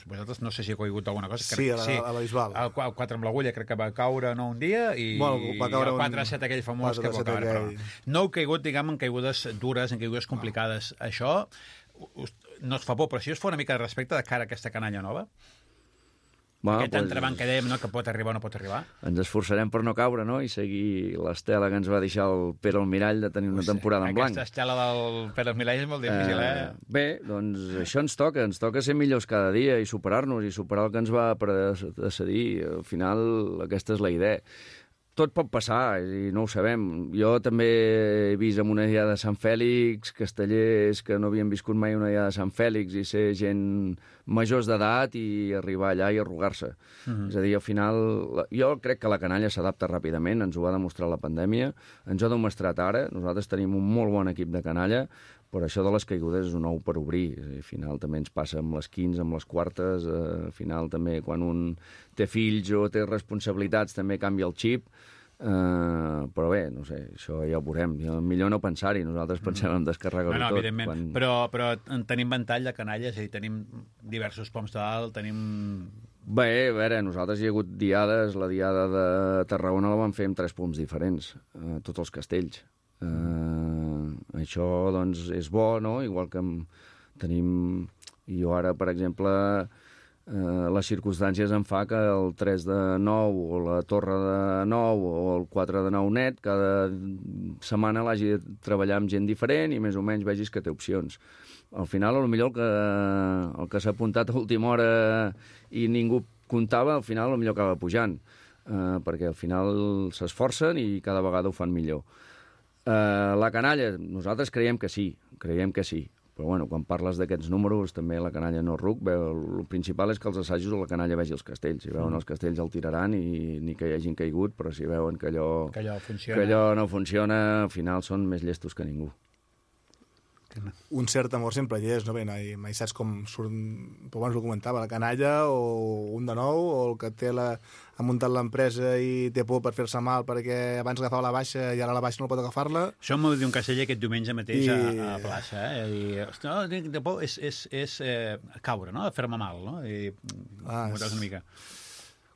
Vosaltres no sé si heu caigut alguna cosa. Sí, a la Bisbal. El 4 amb l'Agulla crec que va caure el dia, i el 4-7 aquell famós que va caure. No heu caigut, diguem, en caigudes dures, en caigudes complicades. Això no es fa por, però si us fa una mica de respecte de cara a aquesta canalla nova? Aquest entrebanc que dèiem, no?, que pot arribar o no pot arribar. Ens esforçarem per no caure, no?, i seguir l'estela que ens va deixar el Pere Almirall de tenir una temporada en blanc. Aquesta estela del Pere Almirall és molt difícil, Bé, doncs això ens toca ser millors cada dia i superar-nos i superar el que ens va precedir. Al final, aquesta és la idea. Tot pot passar, i no ho sabem. Jo també he vist en una diada de Sant Fèlix castellers que no havien viscut mai una diada de Sant Fèlix i ser gent majors d'edat i arribar allà i arrugar-se. És a dir, al final, jo crec que la canalla s'adapta ràpidament, ens ho va demostrar la pandèmia, ens ho ha demostrat ara, nosaltres tenim un molt bon equip de canalla, però això de les caigudes és un ou per obrir. Al final també ens passa amb les 15, amb les quartes, al final també quan un té fills o té responsabilitats també canvia el xip, però bé, no sé, això ja ho veurem. Millor no pensar-hi, nosaltres pensem en descarregar-ho tot. Evidentment, però tenim ventall de canalla, és a dir, tenim diversos poms dalt, tenim... Bé, a veure, nosaltres hi ha hagut diades, la diada de Tarragona la vam fer amb 3 poms diferents, tots els castells. Això, doncs, és bo, no? Igual que tenim... Jo ara, per exemple, les circumstàncies em fa que el 3 de 9 o la torre de 9 o el 4 de 9 net, cada setmana l'hagi de treballar amb gent diferent i més o menys vegis que té opcions. Al final, potser el que s'ha apuntat a última hora i ningú comptava, al final potser acaba pujant, perquè al final s'esforcen i cada vegada ho fan millor. La canalla, nosaltres creiem que sí. Però, bueno, quan parles d'aquests números, també la canalla no ruc, el principal és que els assajos la canalla vegi els castells. Si veuen els castells el tiraran i ni que hi hagin caigut, però si veuen que allò no funciona, al final són més llestos que ningú. Un cert amor sempre hi és, no? Bé, mai saps com surt, però abans ho comentava, la canalla o un de nou, o el que ha muntat l'empresa i té por per fer-se mal perquè abans agafava la baixa i ara la baixa no pot agafar-la. Això m'ho va dir un casteller aquest diumenge mateix a plaça, I, hosti, no, de por és caure, no?, fer-me mal, no? I una mica...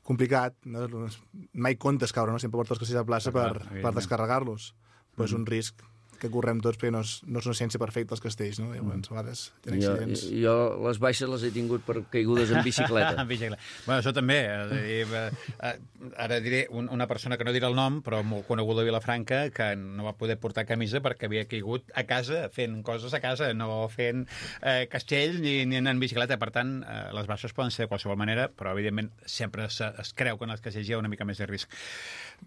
Complicat, no? Mai comptes caure, no? Sempre portes els castells a plaça per descarregar-los, però és un risc que correm tots, perquè no és una ciència perfecta els castells, no? Llavors, a vegades tenen accidents. Jo les baixes les he tingut per caigudes en bicicleta. Bueno, això també. Ara diré una persona que no dirà el nom, però molt coneguda a Vilafranca, que no va poder portar camisa perquè havia caigut a casa, fent coses a casa, no fent castells ni anant en bicicleta. Per tant, les baixes poden ser de qualsevol manera, però, evidentment, sempre es creu que en els castells hi ha una mica més de risc.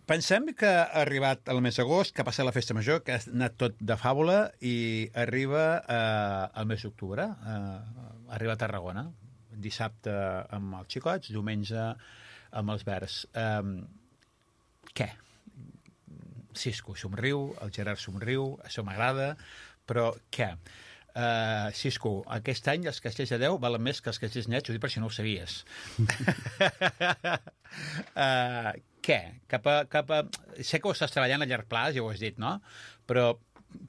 Pensem que ha arribat el mes d'agost, que ha passat la festa major, que ha anat tot de fàbula i arriba al mes d'octubre, arriba a Tarragona, dissabte amb els xicots, diumenge amb els verds. Què? Cisco somriu, el Gerard somriu, això m'agrada, però què? Cisco, aquest any els castells de 10 valen més que els castells nets, ho dic per si no ho sabies. Què? Sé que ho estàs treballant a llarg plaç, ja ho has dit, no? Però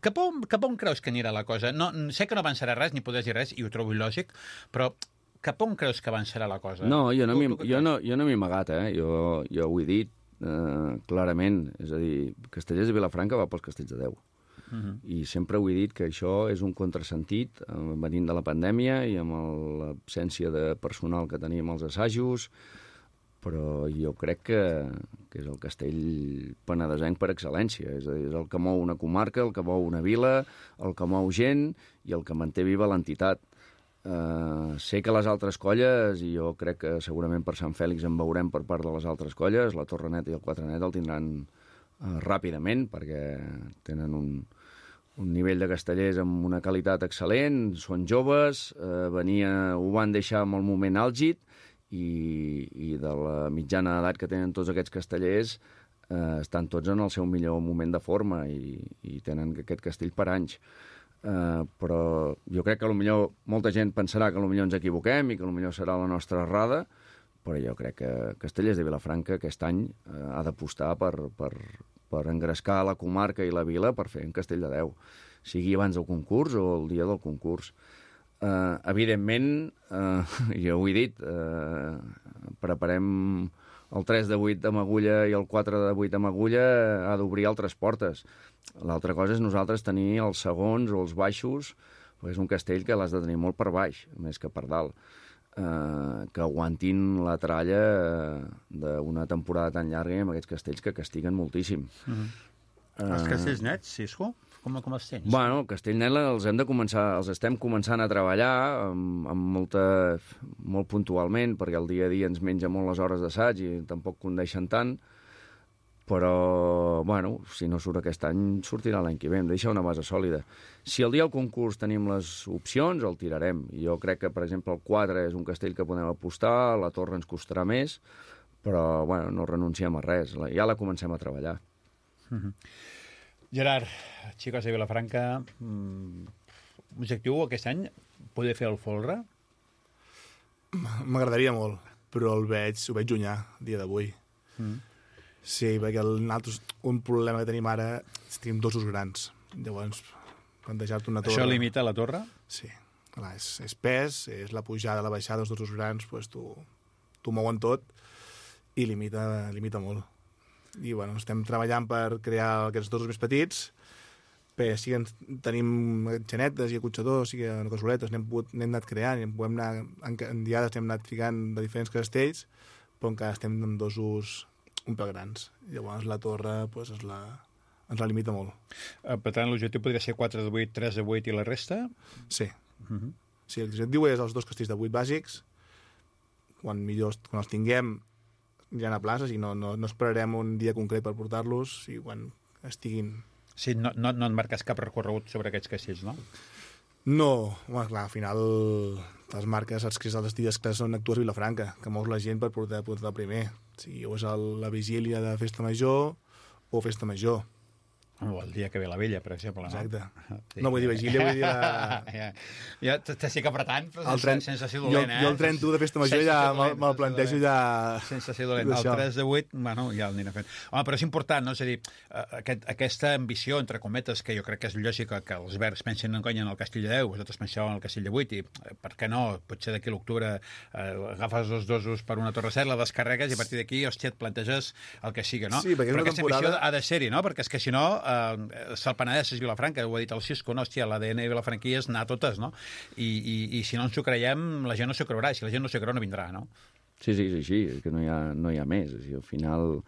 cap on creus que anirà la cosa? No, sé que no avançarà res, ni podràs dir res, i ho trobo il·lògic, però cap on creus que avançarà la cosa? No, jo no m'he amagat, jo ho he dit clarament. És a dir, Castellers de Vilafranca va pels castells de 10. I sempre ho he dit que això és un contrasentit venint de la pandèmia i amb l'absència de personal que teníem als assajos, però jo crec que és el castell penedesenc per excel·lència. És a dir, és el que mou una comarca, el que mou una vila, el que mou gent i el que manté viva l'entitat. Sé que les altres colles, i jo crec que segurament per Sant Fèlix en veurem per part de les altres colles, la Torre Net i el Quatre Net el tindran ràpidament, perquè tenen un nivell de castellers amb una qualitat excel·lent, són joves, ho van deixar en el moment àlgid, i de la mitjana d'edat que tenen tots aquests castellers estan tots en el seu millor moment de forma i tenen aquest castell per anys. Però jo crec que potser molta gent pensarà que potser ens equivoquem i que potser serà la nostra errada, però jo crec que Castellers de Vilafranca aquest any ha d'apostar per engrescar la comarca i la vila per fer un castell de 10, sigui abans del concurs o el dia del concurs. Evidentment, jo ho he dit, preparem el 3 de 8 amb agulla i el 4 de 8 amb agulla ha d'obrir altres portes. L'altra cosa és nosaltres tenir els segons o els baixos, perquè és un castell que l'has de tenir molt per baix, més que per dalt. que aguantin la tralla d'una temporada tan llarga amb aquests castells que castiguen moltíssim. Els castells nets, Sisco, com els tens? Bueno, el castell net els estem començant a treballar molt puntualment, perquè el dia a dia ens menja molt les hores d'assaig i tampoc condeixen tant, però, bueno, si no surt aquest any, sortirà l'any que ve. Hem de deixar una base sòlida. Si el dia del concurs tenim les opcions, el tirarem. Jo crec que, per exemple, el 4 és un castell que podem apostar, la torre ens costarà més, però, bueno, no renunciem a res. Ja la comencem a treballar. Gerard, Xicos de Vilafranca, objectiu aquest any, poder fer el folre? M'agradaria molt, però ho veig llunyà, a dia d'avui. Sí, perquè un problema que tenim ara és que tenim dosos grans. Llavors, plantejar-te una torre... Això limita la torre? Sí. Clar, és pes, és la pujada, la baixada, els dosos grans, doncs t'ho mouen tot i limita molt. I, bueno, estem treballant per crear aquests dosos més petits, però sí que tenim xanetes i acotxadors, sí que casoletes, n'hem anat creant, en diades n'hem anat ficant de diferents castells, però encara estem amb dosos un pèl grans. Llavors la torre ens la limita molt. Per tant, l'objectiu podria ser 4 de 8, 3 de 8 i la resta? Sí. Sí, el objectiu és els 2 castells de 8 bàsics. Quan els tinguem ja a places i no esperarem un dia concret per portar-los i quan estiguin... Sí, no et marques cap recorregut sobre aquests castells, no? No, bueno, clar, al final les marques, saps que els dies que són actuals a Vilafranca, que mous la gent per portar el primer. Si o és la vigília de Festa Major o Festa Major. O el dia que ve la vella, per exemple. Exacte. Sí. No vull dir vigília, vull dir Ja t'estic apretant, però sense ser dolent, Jo el 31 de Festa Major ja me'l plantejo ja... Sense ser dolent. El 3 de 8, bueno, ja el anirem fent. Home, però és important, no? És a dir, aquesta ambició, entre cometes, que jo crec que és lògica que els verds pensin en el Castell de 10, vosaltres penseu en el Castell de 8, i per què no? Potser d'aquí a l'octubre agafes els dosos per una torre set, la descarregues i a partir d'aquí, hòstia, et planteges el que sigui, no? Sí, però aquesta ambició ha de ser-hi, no? Perquè és que si no... el Penedès és Vilafranca, ho ha dit el Sisco, no? Hòstia, l'ADN de Vilafranquí és anar a totes, no? I si no ens ho creiem, la gent no s'ho creurà, i si la gent no s'ho creu, no vindrà, no? Sí, és així, és que no hi ha més. És a dir, al final,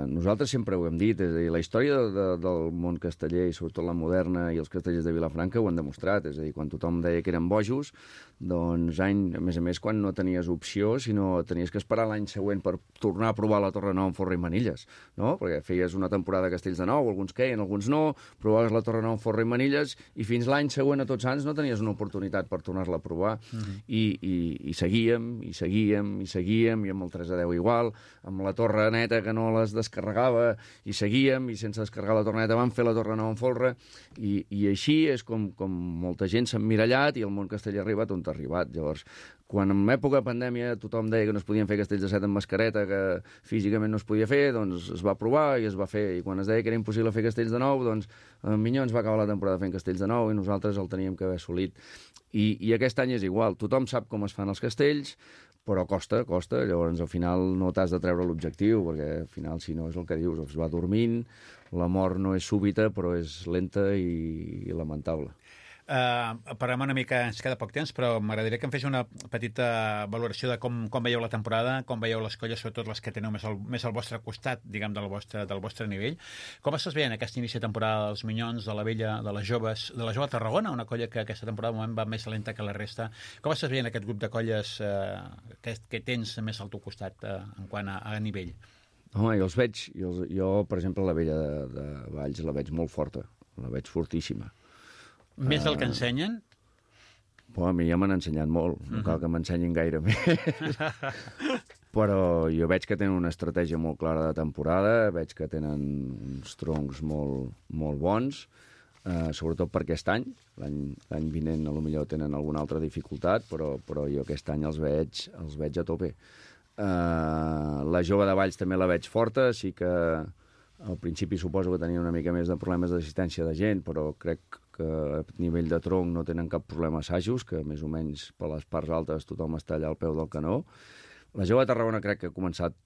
nosaltres sempre ho hem dit, és a dir, la història del món casteller, i sobretot la moderna i els castellers de Vilafranca, ho han demostrat. És a dir, quan tothom deia que eren bojos, doncs, a més, quan no tenies opció, sinó tenies que esperar l'any següent per tornar a provar la Torre Nou amb Forra i Manilles, no? Perquè feies una temporada de castells de nou, alguns queien, alguns no, provaves la Torre Nou amb Forra i Manilles, i fins l'any següent a Tots Sants no tenies una oportunitat per tornar-la a provar. I seguíem, i amb el 3 a 10 igual, amb la Torre Neta que no les descarregava, i seguíem, i sense descarregar la Torre Neta vam fer la Torre Nou amb Folre, i així és com molta gent s'ha emmirallat i el món casteller ha arribat on ha arribat. Llavors, quan en època de pandèmia tothom deia que no es podien fer castells de 7 amb mascareta, que físicament no es podia fer, doncs es va provar i es va fer. I quan es deia que era impossible fer castells de 9, doncs Minyons va acabar la temporada fent castells de 9 i nosaltres el teníem que haver assolit. I aquest any és igual. Tothom sap com es fan els castells, però costa. Llavors, al final, no t'has de treure l'objectiu, perquè al final, si no, és el que dius, es va dormint, la mort no és súbita, però és lenta i lamentable. Parlem una mica, ens queda poc temps, però m'agradaria que em fes una petita valoració de com veieu la temporada, com veieu les colles, sobretot les que teniu més al vostre costat, diguem, del vostre nivell. Com estàs veient aquest inici de temporada dels Minyons, de la Vella, de les joves, de la Jove Tarragona, una colla que aquesta temporada de moment va més lenta que la resta? Com estàs veient aquest grup de colles que tens més al teu costat en quant a nivell? Home, jo els veig, jo, per exemple, la Vella de Valls la veig molt forta, la veig fortíssima. Més del que ensenyen? A mi ja m'han ensenyat molt, no cal que m'ensenyin gaire més. Però jo veig que tenen una estratègia molt clara de temporada, veig que tenen uns troncs molt bons, sobretot per aquest any. L'any vinent potser tenen alguna altra dificultat, però jo aquest any els veig a tope. La Jove de Valls també la veig forta, sí que al principi suposo que tenia una mica més de problemes d'assistència de gent, però crec que a nivell de tronc no tenen cap problema assajos, que més o menys per les parts altes tothom està allà al peu del canó. La Jove de Tarragona crec que ha començat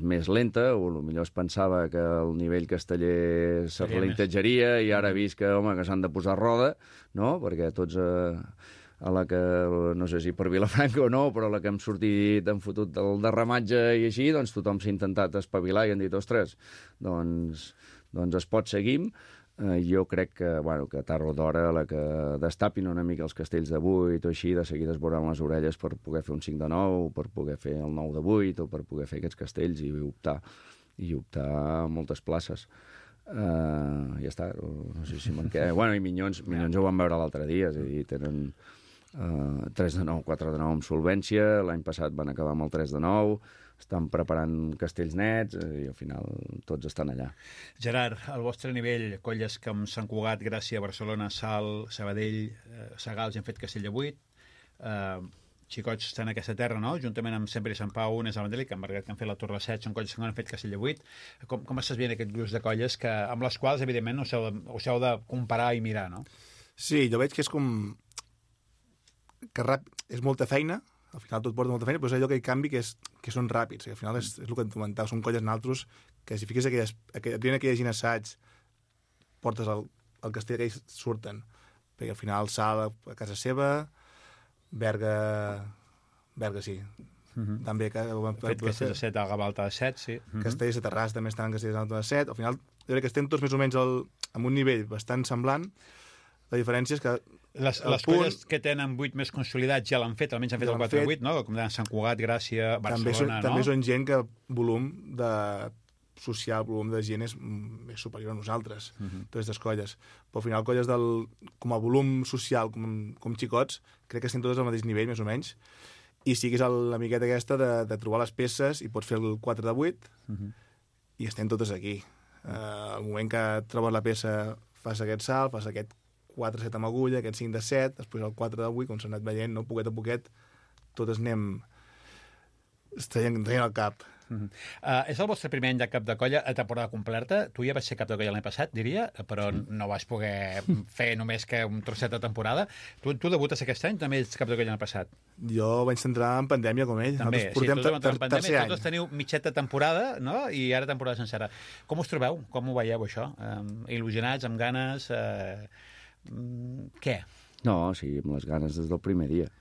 més lenta, o potser es pensava que el nivell casteller se relintetjaria i ara he vist que s'han de posar roda, no? Perquè tots a la que, no sé si per Vilafranca o no, però a la que hem sortit, hem fotut del derramatge i així, doncs tothom s'ha intentat espavilar i han dit, ostres, doncs es pot seguir. Jo crec que, bueno, que tard o d'hora, a la que destapin una mica els castells de 8 o així, de seguida es veuran les orelles per poder fer un 5 de 9, per poder fer el 9 de 8 o per poder fer aquests castells i optar a moltes places. Ja està, no sé si me'n queda. Bueno, i Minyons ho van veure l'altre dia, és a dir, tenen 3 de 9, 4 de 9 amb solvència, l'any passat van acabar amb el 3 de 9, estan preparant castells nets i al final tots estan allà. Gerard, al vostre nivell, colles com Sant Cugat, Gràcia, Barcelona, Salt, Sabadell, Sagals, han fet castell de 8, xicots estan en aquesta terra, no? Juntament amb Sempre i Sant Pau, Unes, Almendrell, que han fet la Torre 7, són colles que han fet castell de 8. Com estàs veient aquest gruix de colles amb les quals, evidentment, us heu de comparar i mirar, no? Sí, jo veig que és com... que és molta feina, al final tot porta molta feina, però és allò que hi canvi que són ràpids, que al final és el que et comentava, són colles naltros que si fiques aquella gent assaig, portes el castell que ells surten, perquè al final Salt a casa seva, Berga sí. També fet castells de 7 a Gavalta de 7, sí. Castells de Terrassa també estan en castells de 7. Al final, jo crec que estem tots més o menys en un nivell bastant semblant. La diferència és que les colles que tenen 8 més consolidats ja l'han fet, almenys han fet el 4-8, no? Com deien Sant Cugat, Gràcia, Barcelona, no? També són gent que volum social, volum de gent és superior a nosaltres, totes les colles. Però al final, colles com a volum social, com xicots, crec que estem totes al mateix nivell, més o menys, i siguis la miqueta aquesta de trobar les peces i pots fer el 4 de 8 i estem totes aquí. Al moment que trobes la peça, fas aquest salt, fas aquest 4-7 amb agulla, aquest 5 de 7, després el 4 de 8, com s'ha anat veient, no? Poquet a poquet, totes anem traient el cap. És el vostre primer any de cap de colla a temporada completa. Tu ja vas ser cap de colla l'any passat, diria, però no vas poder fer només que un trosset de temporada. Tu debutes aquest any, també ets cap de colla l'any passat? Jo vaig entrar en pandèmia com ell. També, sí, tots vam entrar en pandèmia, tots teniu mitjeta temporada, no? I ara temporada sencera. Com us trobeu? Com ho veieu, això? Il·lusionats, amb ganes? Què? No, sí, amb les ganes des del primer dia.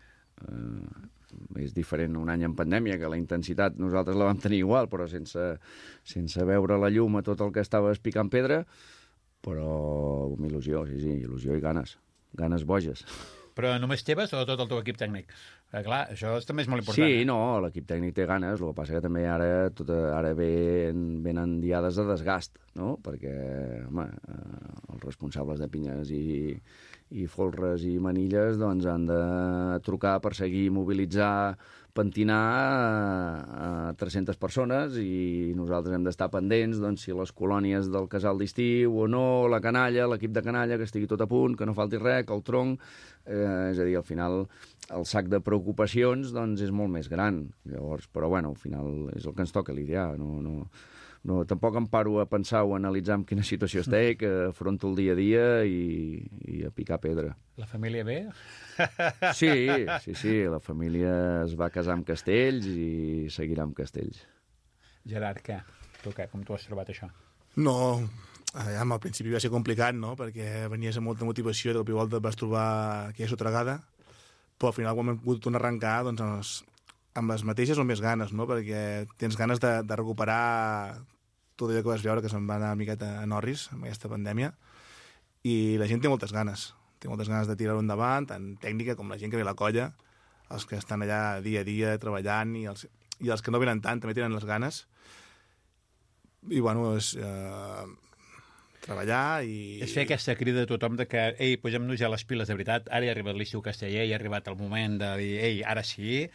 És diferent un any en pandèmia, que la intensitat nosaltres la vam tenir igual, però sense veure la llum a tot el que estava picant pedra, però amb il·lusió, sí, il·lusió i ganes boges. Però només teves o tot el teu equip tècnic? Clar, això també és molt important. Sí, no, l'equip tècnic té ganes, el que passa que també ara venen diades de desgast, no? Perquè, home, els responsables de pinyes i folres i manilles doncs han de trucar, perseguir, mobilitzar, pentinar a 300 persones i nosaltres hem d'estar pendents doncs, si les colònies del casal d'estiu o no, la canalla, l'equip de canalla, que estigui tot a punt, que no falti res, que el tronc... és a dir, al final el sac de preocupacions doncs, és molt més gran. Llavors, però bueno, al final és el que ens toca lidiar. No, tampoc em paro a pensar o a analitzar en quina situació estic, que afronto el dia a dia i a picar pedra. La família bé? Sí, la família es va casar amb castells i seguirà amb castells. Gerard, què? Tu què? Com tu has trobat això? No, al principi va ser complicat, no? Perquè venies amb molta motivació i de cop i volta et vas trobar aquella sotregada, però al final quan hem pogut tornar a arrencar doncs, amb les mateixes o més ganes, no? Perquè tens ganes de recuperar tot allò que vas veure que se'n va anar una miqueta a Norris amb aquesta pandèmia, i la gent té moltes ganes de tirar-ho endavant, tant tècnica com la gent que ve a la colla, els que estan allà dia a dia treballant i els que no venen tant també tenen les ganes, i bueno, és treballar i... És fer aquesta crida a tothom de que, ei, posem-nos ja les piles de veritat, ara ha arribat l'estiu casteller, ha arribat el moment de dir, ei, ara sí,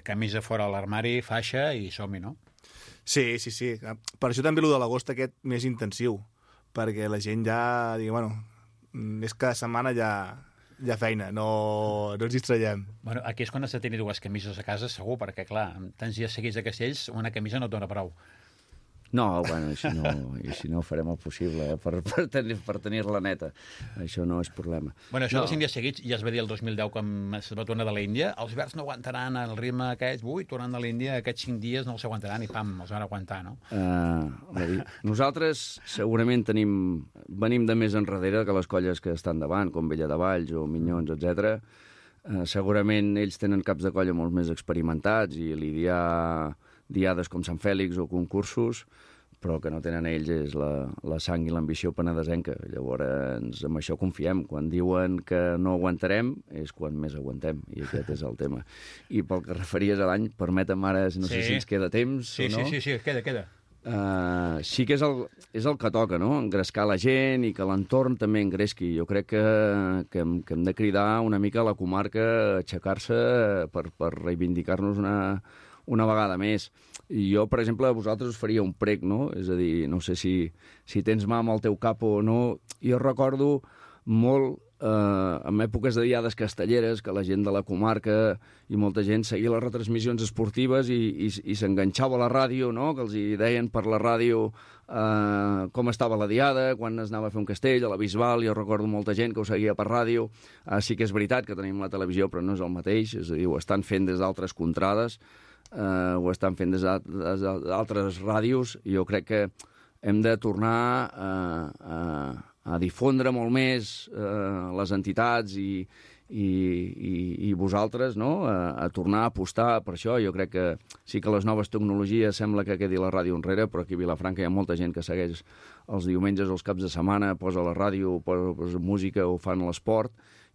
camisa fora a l'armari, faixa i som-hi, no? Sí. Per això també el de l'agost aquest més intensiu, perquè la gent ja, digui, bueno, és cada setmana ja feina, no ens distraiem. Bueno, aquí és quan has de tenir dues camises a casa, segur, perquè, clar, amb tants dies seguits de castells, una camisa no et dona prou. No, bueno, així no farem el possible per tenir-la neta. Això no és problema. Bueno, això dels 5 dies seguits, ja es va dir el 2010 quan es va tornar de l'Índia, els verds no aguantaran el ritme aquest, tornant de l'Índia, aquests 5 dies no els aguantaran i pam, els van aguantar, no? Nosaltres segurament venim de més enrere que les colles que estan davant, com Vella de Valls o Minyons, etc. Segurament ells tenen caps de colla molt més experimentats i lidiar diades com Sant Fèlix o concursos, però que no tenen ells és la sang i l'ambició penedesenca. Llavors, amb això confiem. Quan diuen que no aguantarem, és quan més aguantem, i aquest és el tema. I pel que referies a l'any, permetem ara, no sé si ens queda temps o no. Sí, queda. Sí que és el que toca, no? Engrescar la gent i que l'entorn també engresqui. Jo crec que hem de cridar una mica a la comarca a aixecar-se per reivindicar-nos una vegada més. I jo, per exemple, a vosaltres us faria un prec, no? És a dir, no sé si tens mà amb el teu capo o no. Jo recordo molt en èpoques de diades castelleres que la gent de la comarca i molta gent seguia les retransmissions esportives i s'enganxava a la ràdio, no? Que els hi deien per la ràdio com estava la diada, quan es anava a fer un castell, a la Bisbal. Jo recordo molta gent que ho seguia per ràdio. Sí que és veritat que tenim la televisió, però no és el mateix, és a dir, ho estan fent des d'altres contrades, ho estan fent des d'altres ràdios, i jo crec que hem de tornar a difondre molt més les entitats i vosaltres, no? A tornar a apostar per això. Jo crec que sí que les noves tecnologies sembla que quedi la ràdio enrere, però aquí a Vilafranca hi ha molta gent que segueix els diumenges o els caps de setmana, posa la ràdio, posa música o fan l'esport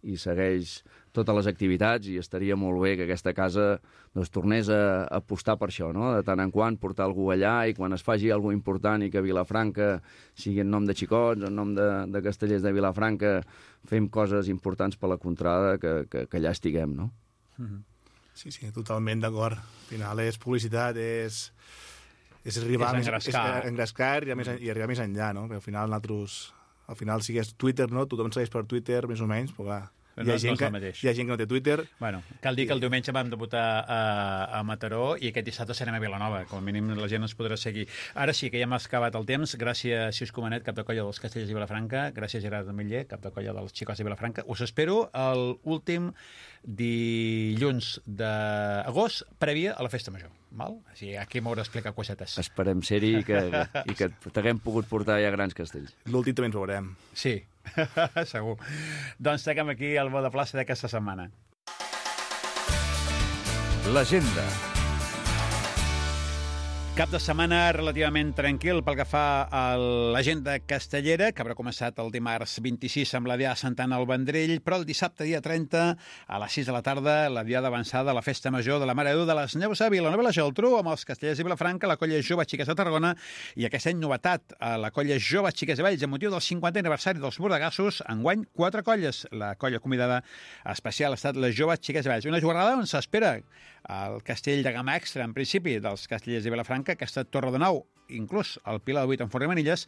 i segueix totes les activitats, i estaria molt bé que aquesta casa doncs, tornés a apostar per això, no? De tant en quant portar algú allà, i quan es faci alguna cosa important i que Vilafranca sigui en nom de xicots, en nom de castellers de Vilafranca, fem coses importants per la contrada, que allà estiguem, no? Sí, totalment d'acord. Al final és publicitat, és arribar és engrescar i arribar més enllà, no? Perquè al final si és Twitter, no? Tothom segueix per Twitter, més o menys, però clar, hi ha gent que no té Twitter. Bueno, cal dir que el diumenge vam debutar a Mataró i aquest dissabte serem a Vilanova. Com a mínim la gent ens podrà seguir. Ara sí que ja hem acabat el temps. Gràcies, Sius Comanet, cap de colla dels Castellers de Vilafranca. Gràcies, Gerard Miller, cap de colla dels Xicots de Vilafranca. Us espero l'últim dilluns d'agost, prèvia a la Festa Major. Val? Així, aquí m'haurà d'explicar cosetes. Esperem ser-hi i que t'haguem pogut portar ja grans castells. L'últim també ens veurem. Sí, segur. Doncs seguim aquí al bo de plaça d'aquesta setmana. L'agenda. Cap de setmana relativament tranquil pel que fa a l'agenda castellera, que haurà començat el dimarts 26 amb la Diada de Sant Anna al Vendrell, però el dissabte, dia 30, a les 6 de la tarda, la Diada avançada a la Festa Major de la Mare de Déu de les Neus a Vilanova i la Geltrú, amb els Castellers de Vilafranca, la colla Jove Xiques de Tarragona, i aquest any novetat, a la colla Jove Xiques de Valls, amb motiu del 50è aniversari dels Bordegassos, enguany 4 colles. La colla convidada especial ha estat la Jove Xiques de Valls. Una jornada on s'espera el castell de gamma extra, en principi, dels Castellers de Vilafranca, aquesta Torre de Nou, inclús el Pilar de 8 en Forn i Manilles,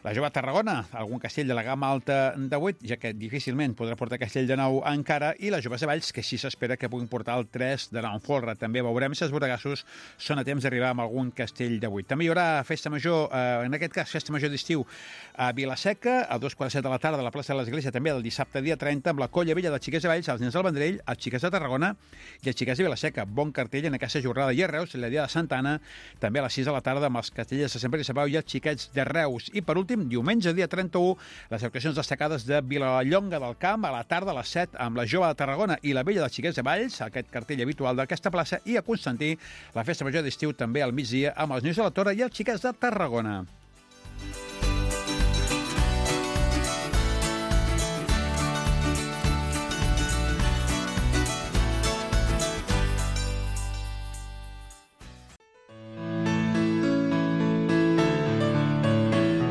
la Jove Tarragona, algun castell de la gamma alta de 8, ja que difícilment podrà portar castell de 9 encara, i la Jove de Valls, que sí s'espera que puguin portar el 3 de 9 en folre. També veurem si els bordegassos són a temps d'arribar amb algun castell de 8. També hi haurà Festa Major, en aquest cas Festa Major d'estiu, a Vilaseca, a 2:45 de la tarda a la plaça de l'Església, també el dissabte dia 30, amb la colla vella de Xiques de Valls, els nens del Vendrell, els Xiques de Tarragona i els Xiques de Vilaseca. Bon cartell en aquesta jornada. I a Reus, la Diada de Sant Anna, també a les 6 de la tarda, amb els castellers de Sant Pere i Sant Pau i els Xiquets de Reus. I per últim, diumenge, dia 31, les actuacions destacades de Vilallonga del Camp, a la tarda a les 7, amb la Jove de Tarragona i la Vella dels Xiquets de Valls, aquest cartell habitual d'aquesta plaça, i a Constantí, la Festa Major d'estiu també al migdia, amb els Neus de la Torre i els Xiquets de Tarragona.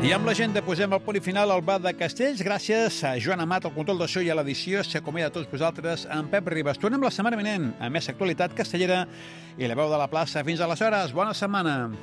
I amb l'agenda posem el punt final al bar de Castells. Gràcies a Joan Amat, al control de so i a l'edició. S'acomiada a tots vosaltres en Pep Ribas. Tornem la setmana vinent amb més actualitat castellera i la veu de la plaça. Fins aleshores, bona setmana.